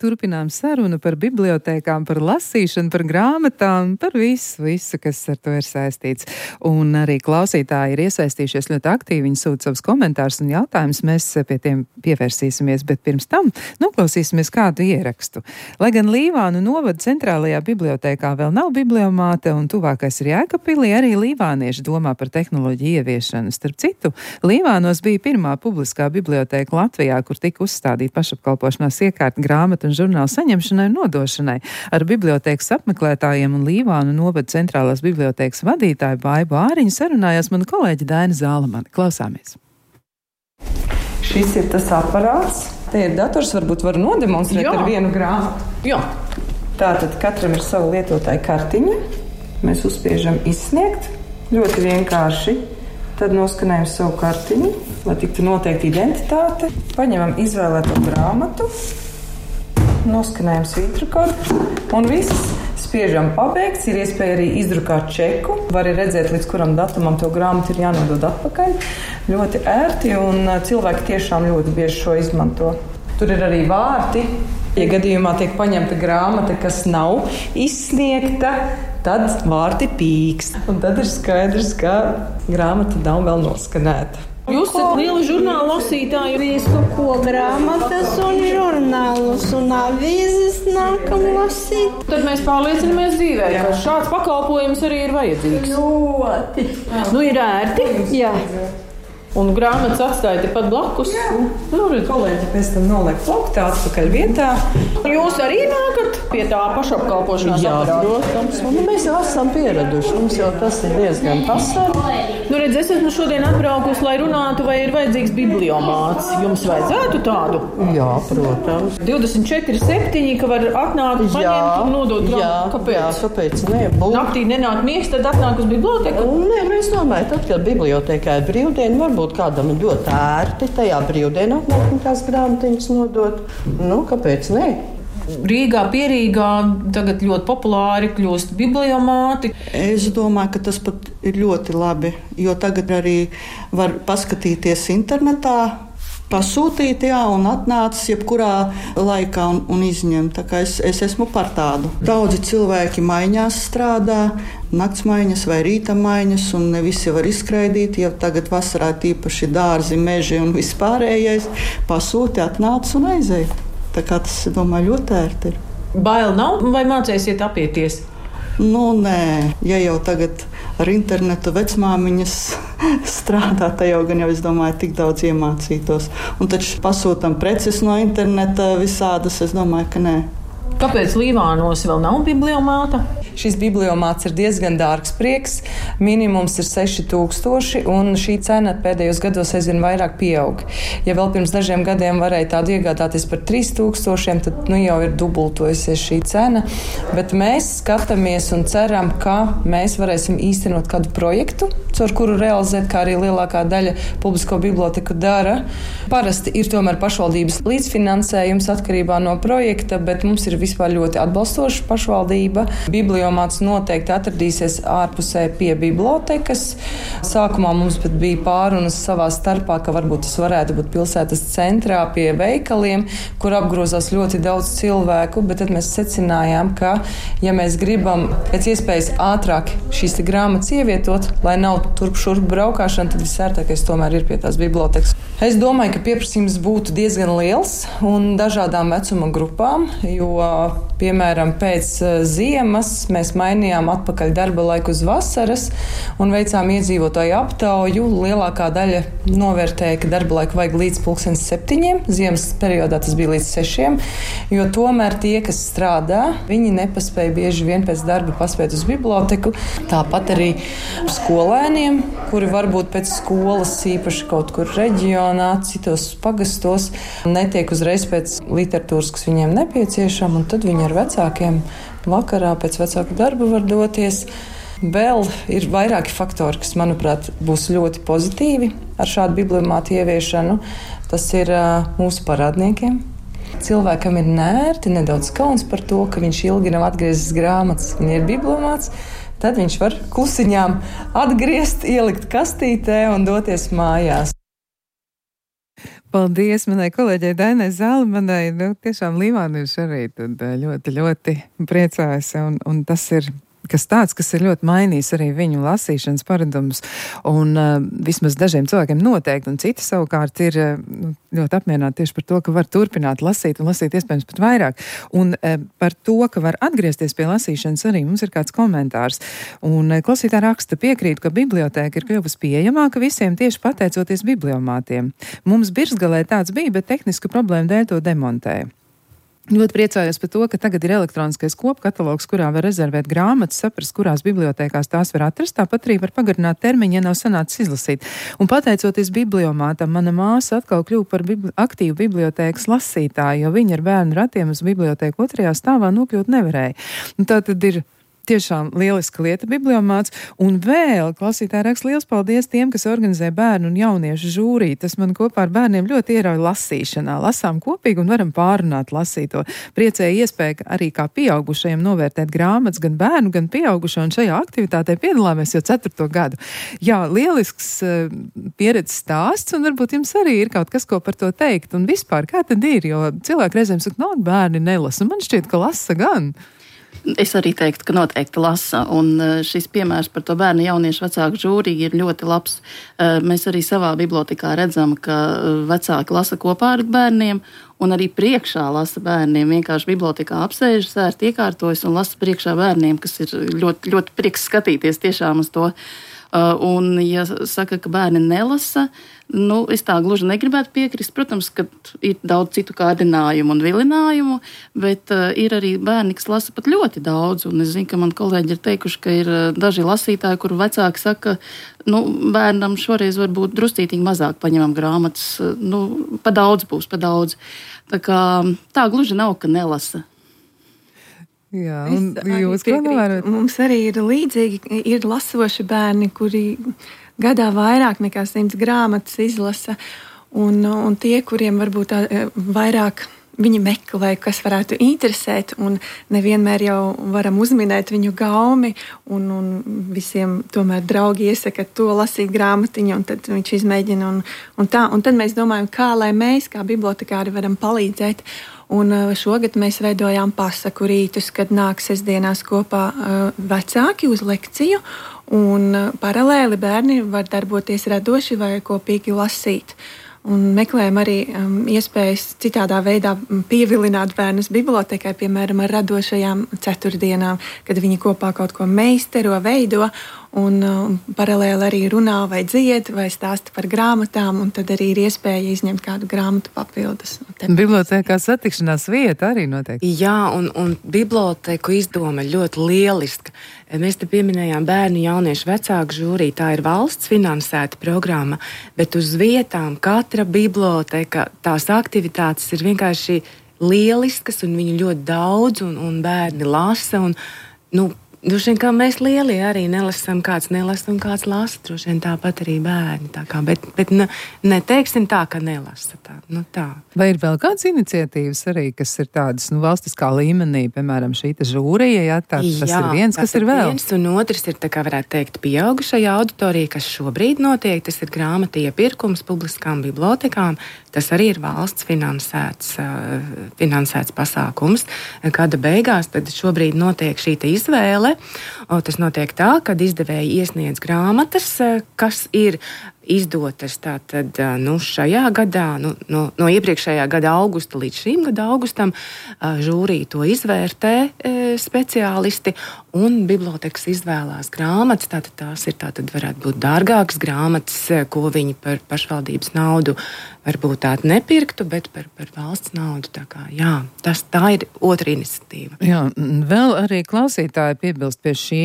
Turpinām sarunu par bibliotēkām, par lasīšanu, par grāmatām, par visu, visu, kas ar to ir saistīts. Un arī klausītāji ir iesaistījušies ļoti aktīvi, viņi sūta savus komentārus un jautājumus, mēs pie tiem pievērsīsimies, bet pirms tam noklausīsimies kādu ierakstu. Lai gan Līvānu novada centrālajā bibliotēkā vēl nav bibliomāte un tuvākais ir Jēkabpilī, arī līvānieši domā par tehnoloģiju ieviešanu. Starp citu, Līvānos bija pirmā publiskā bibliotēka Latvijā, kur tika uzstādīta pašapkalpošanās iekārta grāmatu un žurnālu saņemšanai un nodošanai. Ar bibliotēkas apmeklētājiem un Līvānu novada centrālās bibliotēkas vadītāju Baibu Āriņu sarunājās mana kolēģe Daina Zālamane. Klausāmies. Šis ir tas aparāts. Te ir dators, varbūt var nodemonstrēt Jā. Ar vienu grāmatu. Jā. Tātad katram ir sava lietotāja kartiņa. Mēs uzspiežam izsniegt. Ļoti vienkārši. Tad noskanējam savu kartiņu, lai tiktu noteikti identitāte. Paņemam izvēlēto grāmatu. Noskanējam svītrokodu un viss spiežam pabeigts. Ir iespēja arī izdrukāt čeku. Var arī redzēt, līdz kuram datumam to grāmatu ir jānodod atpakaļ. Ļoti ērti un cilvēki tiešām ļoti bieži šo izmanto. Tur ir arī vārti. Ja gadījumā tiek paņemta grāmata, kas nav izsniegta, tad vārti pīkst. Un tad ir skaidrs, ka grāmata nav vēl noskanēta. Jūs esat liela žurnāla lasītāja. Visu, ko grāmatas un žurnālus un avīzes nākam lasīt. Tad mēs pārliecinamies dzīvē, ka šāds pakalpojums arī ir vajadzīgs. Ļoti. Nu, ir ērti. Jā. Un grāmatas atstāja tepat blakus. Nu, redz, kolēģi pēc tam noliek plauktā atpakaļ vietā. Jūs arī nākat pie tā pašapkalpošanās aparāta? Jā, protams. Un mēs jau esam pieraduši. Mums jau tas ir diezgan pasaka. Nu, redz, es esmu šodien atbraukusi, lai runātu, vai ir vajadzīgs bibliomāts. Jums vajadzētu tādu? Jā, protams. divdesmit četri septiņi, ka var atnākt, paņemt un nodot grāmatu. Jā, kāpēc? Jā, kāpēc ne? Būt. Naktī nenāk miegs, tad atnāk uz biblioteku? Nē, mēs domājam, tad, kad bibliotekā ir brīvdiena, varbūt kādam ir ļoti ērti tajā brīvdienā atnākt un tās grāmatiņas nodot. Nu, kāpēc ne? Rīgā, Pierīgā tagad ļoti populāri kļūst bibliomāti. Es domāju, ka tas pat ir ļoti labi, jo tagad arī var paskatīties internetā, pasūtīt, jā, un atnācis jebkurā laikā un, un izņemt. Tā kā es, es esmu par tādu. Daudzi cilvēki maiņās strādā, naktsmaiņas vai rīta maiņas, un ne visi var izskraidīt, ja tagad vasarā tīpaši dārzi, meži un vispārējais. Pasūti, atnācis un aizēja. Tā kā tas, domāju, ļoti ērti ir. Bail nav vai mācēsiet apieties? Nu, nē, ja jau tagad ar internetu vecmāmiņas strādā, tad jau gan jau, es domāju, tik daudz iemācītos. Un taču pasūtam preces no interneta visādas, es domāju, ka nē. Kāpēc Līvānos vēl nav bibliomāta? Šis bibliomāts ir diezgan dārgs prieks. Minimums ir seši tūkstoši, un šī cena pēdējos gados aizvien vairāk pieaug. Ja vēl pirms dažiem gadiem varēja tādu iegādāties par trīs tūkstošiem, tad nu jau ir dubultojusies šī cena. Bet mēs skatāmies un ceram, ka mēs varēsim īstenot kādu projektu, caur kuru realizēt, kā arī lielākā daļa publisko biblioteku dara. Parasti ir tomēr pašvaldības līdzfinansējums atkarībā no projekta, bet mums ir visu vispār ļoti atbalstoša pašvaldība. Bibliomāts noteikti atradīsies ārpusē pie bibliotekas. Sākumā mums pat bija pārunas savā starpā, ka varbūt tas varētu būt pilsētas centrā pie veikaliem, kur apgrozās ļoti daudz cilvēku, bet tad mēs secinājām, ka, ja mēs gribam pēc iespējas ātrāk šīs grāmatas ievietot, lai nav turp šurp braukāšana, tad visērtākais tomēr ir pie tās bibliotekas. Es domāju, ka pieprasījums būtu diezgan liels un dažādām vecuma grupām, jo, piemēram, pēc ziemas mēs mainījām atpakaļ darba laiku uz vasaras un veicām iedzīvotāju aptauju. Lielākā daļa novērtēja, ka darba laiku vajag līdz pulkstens septiņiem, ziemas periodā tas bija līdz sešiem, jo tomēr tie, kas strādā, viņi nepaspēja bieži vien pēc darba paspēt uz biblioteku. Tāpat arī skolēniem, kuri varbūt pēc skolas īpaši kaut kur reģionā, citos pagastos, netiek uzreiz pēc literatūras, kas viņiem nepieciešama, un tad viņi ar vecākiem vakarā pēc vecāku darba var doties. Vēl ir vairāki faktori, kas, manuprāt, būs ļoti pozitīvi ar šādu bibliomātu ieviešanu. Tas ir uh, mūsu parādniekiem. Cilvēkam ir nērti, nedaudz kauns par to, ka viņš ilgi nav atgriezis grāmatas un ir bibliomāts. Tad viņš var klusiņām atgriezt, ielikt kastītē un doties mājās. Paldies manai kolēģei Dainai Zalmanai. Nu, tiešām Līvānieši arī tad ļoti, ļoti priecājas. Un, un tas ir kas tāds, kas ir ļoti mainījis arī viņu lasīšanas paradumus. Un uh, vismaz dažiem cilvēkiem noteikti, un citi savukārt ir uh, ļoti apmierināti tieši par to, ka var turpināt lasīt un lasīt iespējams pat vairāk. Un uh, par to, ka var atgriezties pie lasīšanas arī mums ir kāds komentārs. Un uh, klausītā raksta piekrīt, ka bibliotēka ir kļuvusi pieejamāka visiem tieši pateicoties bibliomātiem. Mums Birzgalē tāds bija, bet tehnisku problēmu dēļ to demontēja. Ļoti priecājos par to, ka tagad ir elektroniskais kopkatalogs, kurā var rezervēt grāmatas, saprast, kurās bibliotēkās tās var atrast, tāpat arī var pagarināt termiņu, ja nav sanācis izlasīt. Un pateicoties bibliomātam, mana māsa atkal kļuva par bibli- aktīvu bibliotēkas lasītāju, jo viņa ar bērnu ratiem uz bibliotēku otrajā stāvā nokļūt nevarēja. Un tā tad ir tiešām lieliska lieta bibliomāts. Un vēl, klausītāji raksta, liels paldies tiem, kas organizē bērnu un jauniešu žūriju. Tas man kopā ar bērniem ļoti ierauj lasīšanā. Lasām kopīgi un varam pārunāt lasīto. Priecēja iespēja arī kā pieaugušajiem novērtēt grāmatas gan bērnu, gan pieaugušo, un šajā aktivitātē piedalāmies jau ceturto gadu. Jā, lielisks uh, pieredzes stāsts, un varbūt jums arī ir kaut kas, ko par to teikt. Un vispār, kā tad ir, jo cilvēki reizēm saka, no, bērni nelasa. Man šķiet, ka lasa gan. Es arī teiktu, ka noteikti lasa, un šis piemērs par to bērnu jauniešu vecāku žūriju ir ļoti labs. Mēs arī savā bibliotekā redzam, ka vecāki lasa kopā ar bērniem, un arī priekšā lasa bērniem. Vienkārši bibliotekā apsēžas, ērt iekārtojas un lasa priekšā bērniem, kas ir ļoti, ļoti prieks skatīties tiešām uz to. Un, ja saka, ka bērni nelasa, nu, es tā gluži negribētu piekrist. Protams, ka ir daudz citu kārdinājumu un vilinājumu, bet uh, ir arī bērni, kas lasa pat ļoti daudz. Un es zinu, ka man kolēģi ir teikuši, ka ir uh, daži lasītāji, kuru vecāki saka, nu, bērnam šoreiz varbūt druscītīgi mazāk paņemam grāmatas. Uh, nu, pa daudz būs, pa daudz. Tā kā tā gluži nav, ka nelasa. Jā, un jūs kā novērot? Mums arī ir līdzīgi, ir lasoši bērni, kuri gadā vairāk nekā simts grāmatas izlasa, un, un tie, kuriem varbūt tā, vairāk viņi meklē, kas varētu interesēt, un nevienmēr jau varam uzminēt viņu gaumi, un, un visiem tomēr draugi iesaka to lasīt grāmatiņu, un tad viņš izmēģina, un, un tā, un tad mēs domājam, kā lai mēs, kā bibliotekāri, varam palīdzēt. Un šogad mēs veidojām pasaku rītus, kad nāk sestdienās kopā vecāki uz lekciju, un paralēli bērni var darboties radoši vai kopīgi lasīt. Un meklējam arī um, iespējas citādā veidā pievilināt bērnus bibliotekai, piemēram, ar radošajām ceturtdienām, kad viņi kopā kaut ko meistero, veido, un um, paralēli arī runā vai dzied, vai stāsta par grāmatām, un tad arī ir iespēja izņemt kādu grāmatu papildus. Bibliotekā satikšanās vieta arī noteikti. Jā, un, un biblioteku izdoma ļoti lieliska. Mēs te pieminējām bērnu jauniešu vecāku žūriju, tā ir valsts finansēta programma, bet uz vietām katra biblioteka, tās aktivitātes ir vienkārši lieliskas, un viņu ļoti daudz, un, un bērni lasa, un, nu, Droši vien, kā mēs lielie arī nelasām, kāds nelasa un kāds lasa. Droši vien tāpat arī bērni. Tā kā, bet bet nu, neteiksim tā, ka nelasa. Tā, nu, tā. Vai ir vēl kādas iniciatīvas arī, kas ir tādas nu, valstiskā līmenī, piemēram, šī žūrija, ja, tā, tas jā, ir viens, kas ir vēl? Viens un otrs ir, tā kā varētu teikt, pieaugušajā auditorija, kas šobrīd notiek. Tas ir grāmatu iepirkums publiskām bibliotekām. Tas arī ir valsts finansēts, finansēts pasākums. Gada beigās tad šobrīd notiek šī izvēle. Tas notiek tā, ka izdevēji iesniedz grāmatas, kas ir izdotas tātad, nu, šajā gadā, nu, no, no iepriekšējā gada augusta līdz šīm gada augustam, žūrija to izvērtē speciālisti, un bibliotekas izvēlās grāmatas. Tātad tās ir, tātad varētu būt dārgākas grāmatas, ko viņi par pašvaldības naudu varbūt tādu nepirktu, bet par, par valsts naudu. Tā kā, jā, tas, tā ir otra iniciatīva. Jā, vēl arī klausītāji piebilst pie šī,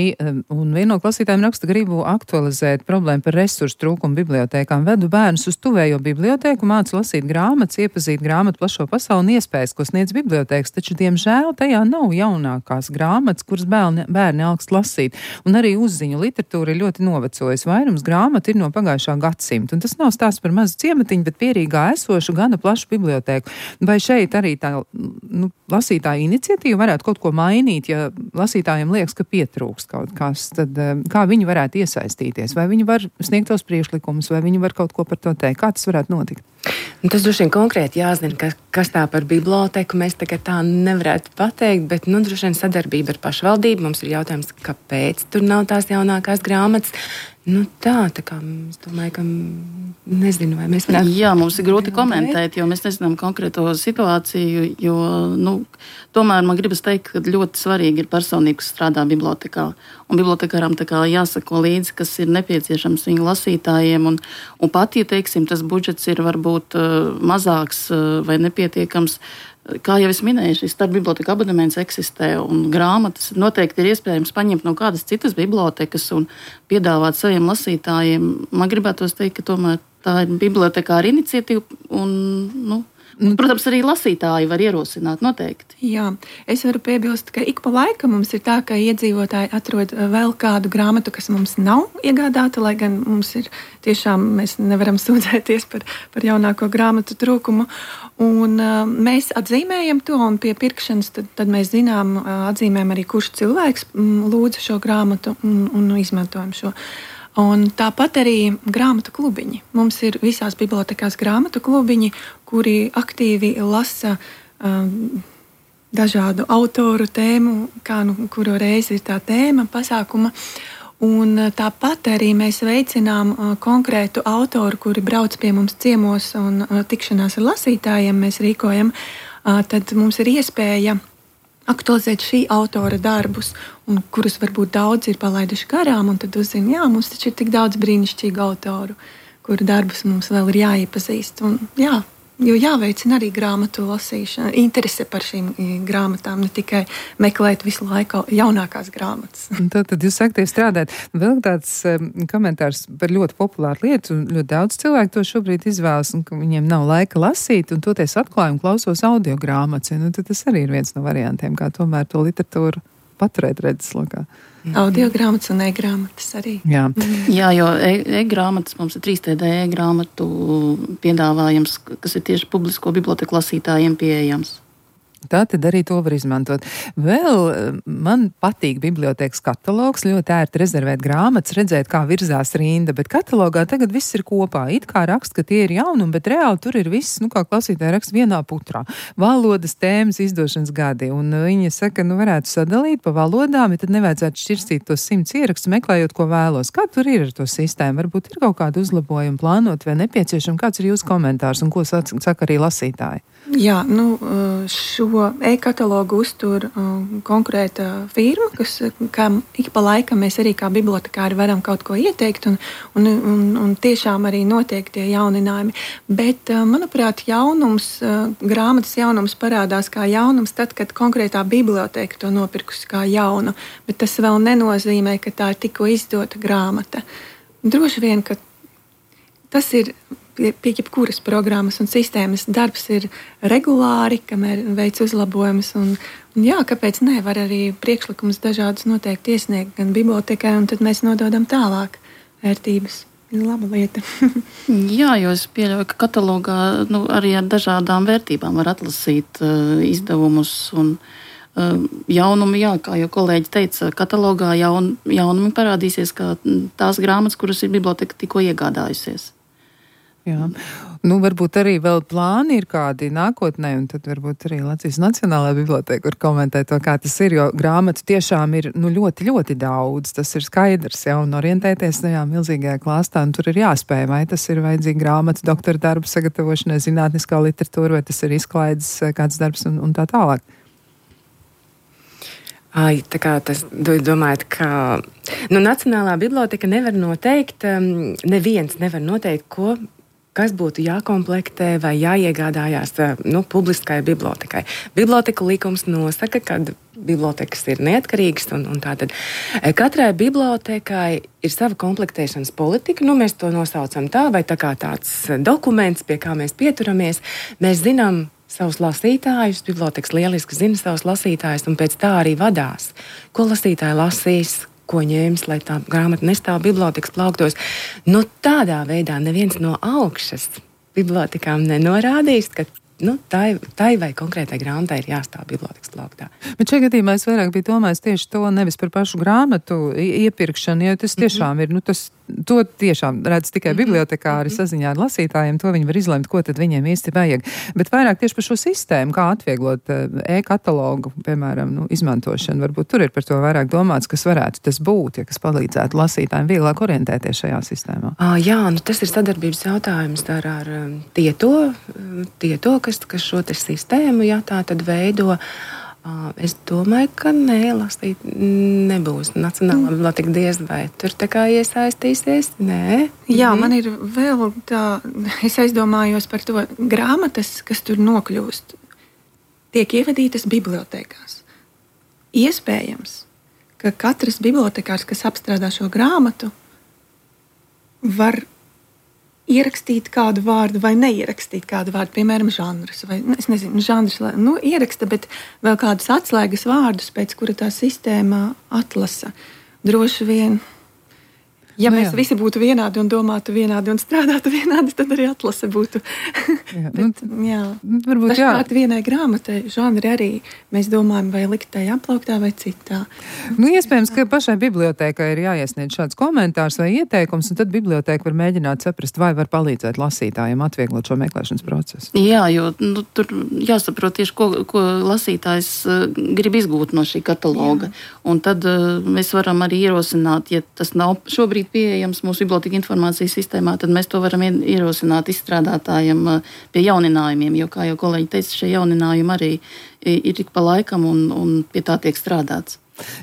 un viena no klausītājiem raksta, gribu aktualizēt problēmu par resursu trūkumu bibliotēkām. Vedu bērnus uz tuvējo bibliotēku, mācu lasīt grāmatas, iepazīt grāmatu plašo pasauli un iespējas, ko sniedz bibliotēkas, taču, diemžēl, tajā nav jaunākās grāmatas, kuras bērni, bērni augst lasīt. Un arī uzziņu literatūra ir ļoti novecojusi. Vairums grāmatu ir no pagājušā gadsimta. Un tas nav stāsts par mazu ciematiņu, bet pierīgā esošu gana plašu bibliotēku. Vai šeit arī tā nu, lasītāja iniciatīva varētu kaut ko mainīt, ja lasītājiem liekas, ka pietrūks kaut kas, tad kā viņi varētu iesaistīties? Vai viņi var sniegt tos priekšlikumus, vai viņi var kaut ko par to teikt? Kā tas varētu notikt? Un tas droši vien konkrēti jāzina, ka, kas tā par biblioteku mēs tagad tā nevarētu pateikt, bet, nu, droši vien sadarbība ar pašvaldību. Mums ir jautājums, kāpēc tur nav tās jaunākās grāmatas. Nu tā, tā kā es domāju, ka nezinu, vai mēs varētu... Jā, mums ir grūti komentēt, jo mēs nezinām konkrēto situāciju, jo, nu, tomēr man gribas teikt, ka ļoti svarīgi ir personīgi, kas strādā bibliotekā. Un bibliotekārām tā kā jāsako līdzi, kas ir nepieciešams viņu lasītājiem. Un, un pat, ja, teiksim, tas budžets ir varbūt uh, mazāks uh, vai nepietiekams, kā jau es minēju, šis starpbiblioteka abonements eksistē, un grāmatas noteikti ir iespējams paņemt no kādas citas bibliotekas un piedāvāt saviem lasītājiem. Man gribētos teikt, ka tomēr tā ir bibliotekāra iniciatīva, un, nu, protams, arī lasītāji var ierosināt noteikti. Jā, es varu piebilst, ka ik pa laikam mums ir tā, ka iedzīvotāji atrod vēl kādu grāmatu, kas mums nav iegādāta, lai gan mums ir tiešām, mēs nevaram sūdzēties par, par jaunāko grāmatu trūkumu. Un uh, mēs atzīmējam to, un pie pirkšanas tad, tad mēs zinām, uh, atzīmējam arī, kurš cilvēks mm, lūdza šo grāmatu un, un izmantojam šo. Un tāpat arī grāmatu klubiņi. Mums ir visās bibliotekās grāmatu klubiņi, kuri aktīvi lasa um, dažādu autoru tēmu, kā nu kuru reizi ir tā tēma pasākuma. Un tāpat arī mēs veicinām uh, konkrētu autoru, kuri brauc pie mums ciemos un uh, tikšanās ar lasītājiem mēs rīkojam. Uh, tad mums ir iespēja aktualizēt šī autora darbus, un kurus varbūt daudz ir palaiduši garām, un tad uzzina, jā, mums taču ir tik daudz brīnišķīgu autoru, kuru darbus mums vēl ir jāiepazīst. Un, jā, jo jāveicina arī grāmatu lasīšana, interese par šīm grāmatām, ne tikai meklēt visu laiku jaunākās grāmatas. Tad, tad jūs aktīvi strādājat. Vēl tāds um, komentārs par ļoti populāru lietu, un ļoti daudz cilvēku to šobrīd izvēlas, un ka viņiem nav laika lasīt, un toties atklājumu klausos audio grāmatas. Nu, tad tas arī ir viens no variantiem, kā tomēr to literatūru paturēt redzeslokā. Audio grāmatas un e-grāmatas arī. Jā, mm. Jā, jo e-grāmatas mums ir trīs T D e-grāmatu piedāvājums, kas ir tieši publisko biblioteku lasītājiem pieejams. Tā tad arī to var izmantot. Vēl man patīk bibliotēkas katalogs, ļoti ērti rezervēt grāmatas, redzēt, kā virzās rinda, bet katalogā tagad viss ir kopā. It kā raksta, ka tie ir jaunumi, bet reāli tur ir viss, nu kā klausītāji raksta, vienā putrā. Valodas, tēmas, izdošanas gadi. Un viņa saka, nu varētu sadalīt pa valodām, ja tad nevajadzētu šķirstīt tos simts ierakstus, meklējot, ko vēlos. Kā tur ir ar to sistēmu? Varbūt ir kaut kādu uzlabojumu plānot vai nepieciešam? Kāds ir jūsu komentārs un ko saka arī lasītāji? Jā, nu šo e-katalogu uztur konkrēta firma, kas, kā ik pa laikam mēs arī kā bibliotekāri varam kaut ko ieteikt, un, un, un, un tiešām arī notiek tie jauninājumi. Bet, manuprāt, jaunums, grāmatas jaunums parādās kā jaunums tad, kad konkrētā biblioteka to nopirkusi kā jaunu, bet tas vēl nenozīmē, ka tā ir tikko izdota grāmata. Droši vien, ka tas ir pie, pie jebkuras programmas un sistēmas. Darbs ir regulāri, kamēr veic uzlabojumus. Un, un jā, kāpēc ne? Var arī priekšlikumus dažādus noteikti iesniegt gan bibliotekai, un tad mēs nododam tālāk vērtības. Laba lieta. Jā, jo es pieļauju, ka katalogā nu, arī ar dažādām vērtībām var atlasīt uh, izdevumus un uh, jaunumi. Jā, kā jau kolēģi teica, katalogā jaun, jaunumi parādīsies kā tās grāmatas, kuras ir biblioteka tikko iegādājusies. Jā. Nu, varbūt arī vēl plāni ir kādi nākotnē, un tad varbūt arī Latvijas Nacionālā biblioteka var komentēt to, kā tas ir, jo grāmatu tiešām ir nu, ļoti, ļoti daudz. Tas ir skaidrs, ja, un orientēties tajā milzīgajā klāstā, un tur ir jāspēj, vai tas ir vajadzīgi grāmatu doktora darbu sagatavošanai, zinātniskā literatūra, vai tas ir izklaides kāds darbs un, un tā tālāk. Ai, tā kā tas domājat, ka nu, Nacionālā biblioteka nevar noteikt, um, neviens nevar noteikt, ko kas būtu jākomplektē vai jāiegādājās nu, publiskai bibliotekai. Biblioteku likums nosaka, ka bibliotekas ir neatkarīgas, un, un tātad katrai bibliotekai ir sava komplektēšanas politika. Nu, mēs to nosaucam tā, vai tā kā tāds dokuments, pie kā mēs pieturamies. Mēs zinām savus lasītājus, bibliotekas lieliski zina savus lasītājus, un pēc tā arī vadās. Ko lasītāji lasīs? Ko ņēmis, lai tā grāmata nestāv bibliotekas plauktos. Nu, tādā veidā neviens no augšas bibliotekām nenorādīs, ka nu, tai, tai vai konkrētai grāmatai ir jāstāv bibliotekas plauktā. Bet šajā gadījumā es vairāk biju domājis tieši to nevis par pašu grāmatu iepirkšanu, jo tas tiešām ir, nu, tas, to tiešām redz tikai bibliotekāri saziņā ar lasītājiem, to viņi var izlemt, ko tad viņiem īsti vajag. Bet vairāk tieši par šo sistēmu, kā atvieglot e-katalogu, piemēram, nu, izmantošanu. Varbūt tur ir par to vairāk domāts, kas varētu tas būt, ja kas palīdzētu lasītājiem vieglāk orientēties šajā sistēmā. À, jā, nu tas ir sadarbības jautājums ar, ar tieto, tieto kas, kas šo te sistēmu, jā, tā tad veido. Es domāju, ka nē, lasīt nebūs. Nacionālā biblioteka diez vai tur tā kā iesaistīsies. Nē. Jā, man ir vēl tā, es aizdomājos par to grāmatas, kas tur nokļūst, tiek ievadītas bibliotekās. Iespējams, ka katrs bibliotekārs, kas apstrādā šo grāmatu, var ierakstīt kādu vārdu vai neierakstīt kādu vārdu, piemēram, žanrus. Vai, es nezinu, žanrus, nu, ieraksta, bet vēl kādus atslēgas vārdus, pēc kura tā sistēma atlasa. Droši vien, ja nu, mēs visi būtu vienādi un domātu vienādi un strādātu vienādi, tad arī atlase būtu. Jā, bet, nu, jā. Varbūt jā. Dažkārt vienai grāmatai žanri arī mēs domājam, vai likt tai aplauktā vai citā. Nu, iespējams, ka pašai bibliotēkai ir jāiesniedz šāds komentārs vai ieteikums, un tad bibliotēka var mēģināt saprast, vai var palīdzēt lasītājiem atvieglot šo meklēšanas procesu. Jā, jo nu, tur jāsaprot tieši, ko, ko lasītājs uh, grib izgūt no šī kataloga. Jā. Un tad uh, mēs varam arī ierosināt, ja tas nav šobrīd pieejams mūsu biblioteka informācijas sistēmā, tad mēs to varam ierosināt izstrādātājiem pie jauninājumiem, jo, kā jau kolēģi teica, šie jauninājumi arī ir tik pa laikam un, un pie tā tiek strādāts.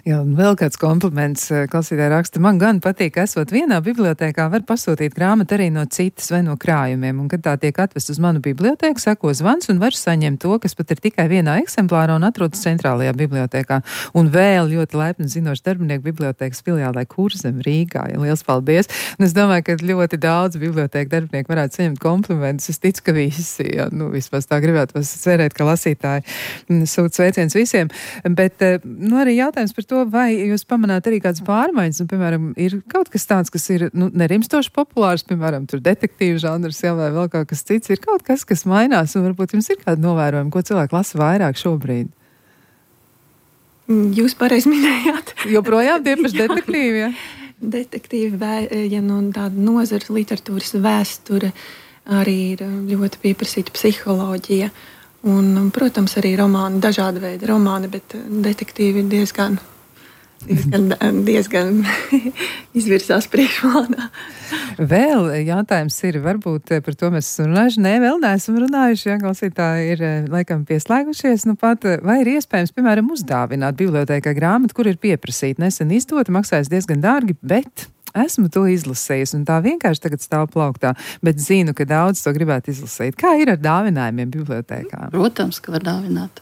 Jā, un vēl kāds kompliments klausītāji raksta. Man gan patīk, ka esot vienā bibliotēkā, var pasūtīt grāmatu arī no citas vai no krājumiem. Un, kad tā tiek atvest uz manu bibliotēku, seko zvans un var saņemt to, kas pat ir tikai vienā eksemplārā un atrodas centrālajā bibliotēkā. Un vēl ļoti laipni zinoši darbinieku bibliotēkas filiālē Kurzem Rīgā. Ja, liels paldies! Un es domāju, ka ļoti daudz bibliotēku darbinieku varētu saņemt komplimentus. Es ticu, ka visi, ja, nu, vismaz tā gribētu cerēt, ka lasītāji sūt sveiciens visiem. Bet, nu, arī jautājums par to, vai jūs pamanāt arī kādas pārmaiņas, un, piemēram, ir kaut kas tāds, kas ir, nu, nerimstoši populārs, piemēram, tur detektīvu žanrs, jā, vai vēl kaut kas cits, ir kaut kas, kas mainās, un varbūt jums ir kāda novērojuma, ko cilvēki lasa vairāk šobrīd? Jūs pareizi minējāt. Joprojām tie paši detektīvi, jā? Detektīvi, ja no tāda nozara literatūras vēsture, arī ir ļoti pieprasīta psiholoģija. Un, protams, arī romāni, dažādi veidi romāni, bet detektīvi ir diezgan, diezgan, diezgan izvirzās priekšplānā. Vēl jautājums ir, varbūt par to mēs esam runājuši. Nē, vēl neesam runājuši, ja klausītāji ir laikam pieslēgušies. Nu pat, vai ir iespējams, piemēram, uzdāvināt bibliotēkai grāmatu, kur ir pieprasīta nesen izdota, maksājas diezgan dārgi, bet esmu to izlasējusi, un tā vienkārši tagad stāv plauktā, bet zinu, ka daudz to gribētu izlasīt. Kā ir ar dāvinājumiem bibliotēkā? Protams, ka var dāvināt.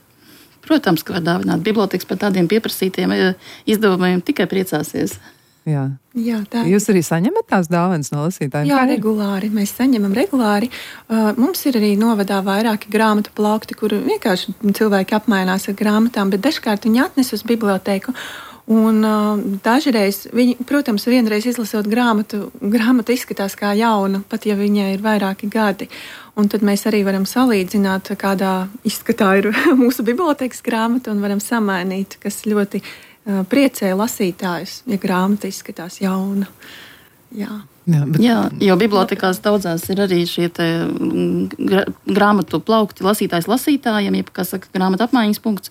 Protams, ka var dāvināt. Bibliotēkas par tādiem pieprasītiem izdevumiem tikai priecāsies. Jā. Jā, tā. Jūs arī saņemat tās dāvanas no lasītājiem? Jā, regulāri. Mēs saņemam regulāri. Uh, mums ir arī novadā vairāki grāmatu plaukti, kur vienkārši cilvēki apmainās ar grāmatām, bet dažkārt viņi atnes uz bibliotēku. Un uh, dažreiz, viņi, protams, vienreiz izlasot grāmatu, grāmata izskatās kā jauna, pat ja viņai ir vairāki gadi. Un tad mēs arī varam salīdzināt, kādā izskatā ir mūsu bibliotēkas grāmata un varam samainīt, kas ļoti priecē lasītājus, ja grāmata izskatās jauna. Jā. Jā, bet... Jā, jo bibliotekās daudzās ir arī šie te gra, grāmatu plaukti lasītājs lasītājiem, jeb, kā saka, grāmata apmaiņas punkts,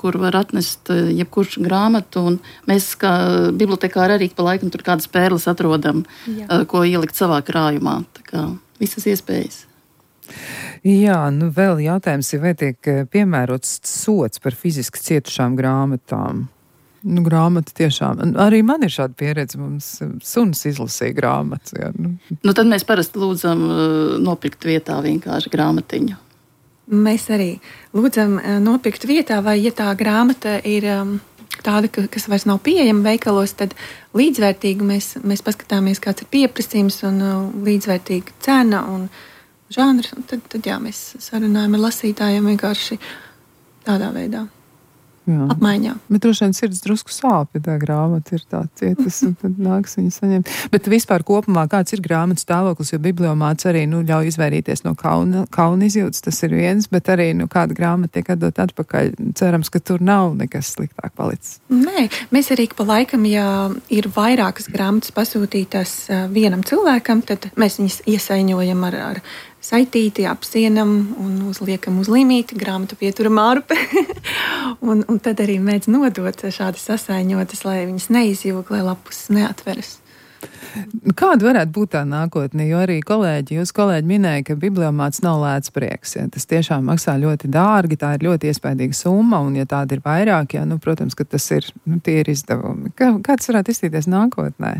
kur var atnest jebkurš grāmatu, un mēs kā bibliotekāri arī pa laikam tur kādas pērles atrodam, Jā. Ko ielikt savā krājumā. Tā kā visas iespējas. Jā, nu vēl jautājums ir, vai tiek piemērots sots par fiziski cietušām grāmatām? Nu, grāmata tiešām. Arī man ir šāda pieredze. Mums suns izlasīja grāmatu. Jā, nu. nu, tad mēs parasti lūdzam nopirkt vietā vienkārši grāmatiņu. Mēs arī lūdzam nopirkt vietā, vai ja tā grāmata ir tāda, kas vairs nav pieejama veikalos, tad līdzvērtīgi mēs, mēs paskatāmies, kāds ir pieprasījums un līdzvērtīga cena un žanrs. Tad, tad jā, mēs sarunājam ar lasītājiem vienkārši tādā veidā. Jā. Apmaiņā. Bet droši vien sirds drusku sāp, ja tā grāmata ir tā cietas, un tad nāks viņu saņemt. Bet vispār kopumā kāds ir grāmatas stāvoklis, jo bibliomāts arī nu, ļauj izvairīties no kauna, kauna izjūtas, tas ir viens, bet arī nu, kāda grāmata tiek atdot atpakaļ. Cerams, ka tur nav nekas sliktāk palicis. Nē, mēs arī pa laikam, ja ir vairākas grāmatas pasūtītas vienam cilvēkam, tad mēs viņas iesaiņojam ar, ar saitīti, apsienam un uzliekam uz limīti, grāmatu pieturam ārpe. un, un tad arī mēdz nodot šādi sasaiņotas, lai viņas neizjūg, lai lapus neatveras. Kāda varētu būt tā nākotne? Jo arī kolēģi, jūs kolēģi minēja, ka bibliomāts nav lēts prieks. Ja? Tas tiešām maksā ļoti dārgi, tā ir ļoti iespaidīga summa, un ja tāda ir vairāk, ja, nu, protams, ka tas ir, nu, tie ir izdevumi. Kā, kāds varētu izstīties nākotnē?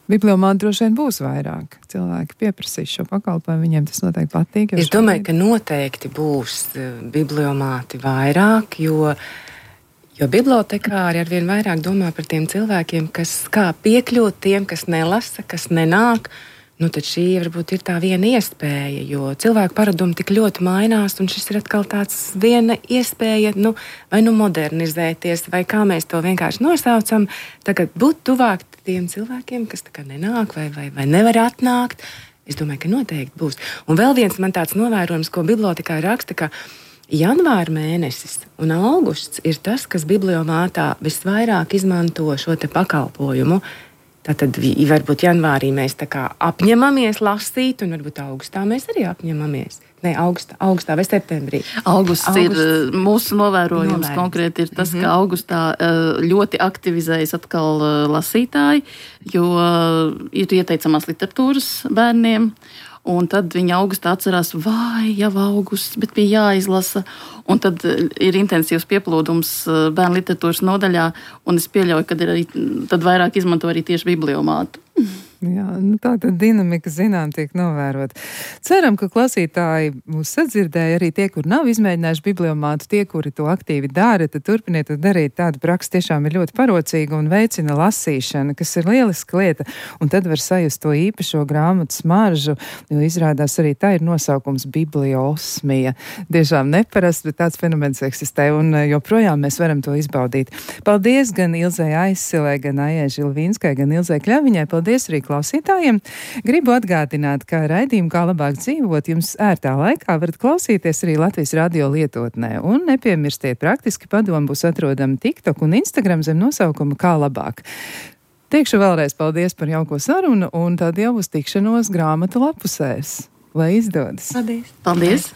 Bibliomāti droši vien būs vairāk. Cilvēki pieprasīs šo pakalpojumu, viņiem tas noteikti patīk. Es domāju, ka noteikti būs bibliomāti vairāk, jo, jo bibliotekāri arvien vairāk domā par tiem cilvēkiem, kas kā piekļūt tiem, kas nelasa, kas nenāk. Nu, tad šī varbūt ir tā viena iespēja, jo cilvēku paradumi tik ļoti mainās, un šis ir atkal tāds viena iespēja, nu, vai nu modernizēties, vai kā mēs to vienkārši nosaucam, tagad būt tuvāk tiem cilvēkiem, kas tā kā nenāk vai, vai, vai nevar atnākt. Es domāju, ka noteikti būs. Un vēl viens man tāds novērojums, ko bibliotekā raksta, ka janvāra mēnesis un augusts ir tas, kas bibliomātā visvairāk izmanto šo te pakalpojumu. Tātad varbūt janvārī mēs tā kā apņemamies lasīt, un varbūt augustā mēs arī apņemamies. Nē, augustā, augustā vai septembrī. Augusts, Augusts ir mūsu novērojums novērojums. Konkrēti ir tas, mm-hmm. ka augustā ļoti aktivizējas atkal lasītāji, jo ir ieteicamās literatūras bērniem. Un tad viņi augustā atcerās, vai jau augusts, bet bija jāizlasa. Un tad ir intensīvs pieplūdums bērnu literatūras nodaļā, un es pieļauju, ka ir arī, tad vairāk izmanto arī tieši bibliomātu. Jā, nu tā tad dinamika, zinām, tiek novērot. Ceram, ka klausītāji mūs sadzirdēja, arī tie, kur nav izmēģinājuši bibliomātu, tie, kuri to aktīvi dara, tad turpiniet to darīt. Tāda praksa tiešām ir ļoti parocīga un veicina lasīšana, kas ir lieliska lieta. Un tad var sajust to īpašo grāmatu smaržu, jo izrādās arī tā ir nosaukums bibliosmija. Tiešām neparasts, bet tāds fenomens eksistē, un joprojām mēs varam to izbaudīt. Paldies gan Ilzei Aizsilē, gan Aijai Žilvīnskai, gan Ilzei Kļaviņai. Paldies arī klausītājiem. Gribu atgādināt, ka raidījumu Kā labāk dzīvot jums ērtā laikā varat klausīties arī Latvijas radio lietotnē. Un nepiemirstiet, praktiski padomu būs atrodami TikTok un Instagram zem nosaukuma Kā labāk. Teikšu vēlreiz paldies par jauko sarunu, un tad jau uz tikšanos grāmatu lapusēs. Lai izdodas. Paldies. Paldies.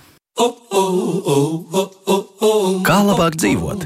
Kā labāk dzīvot?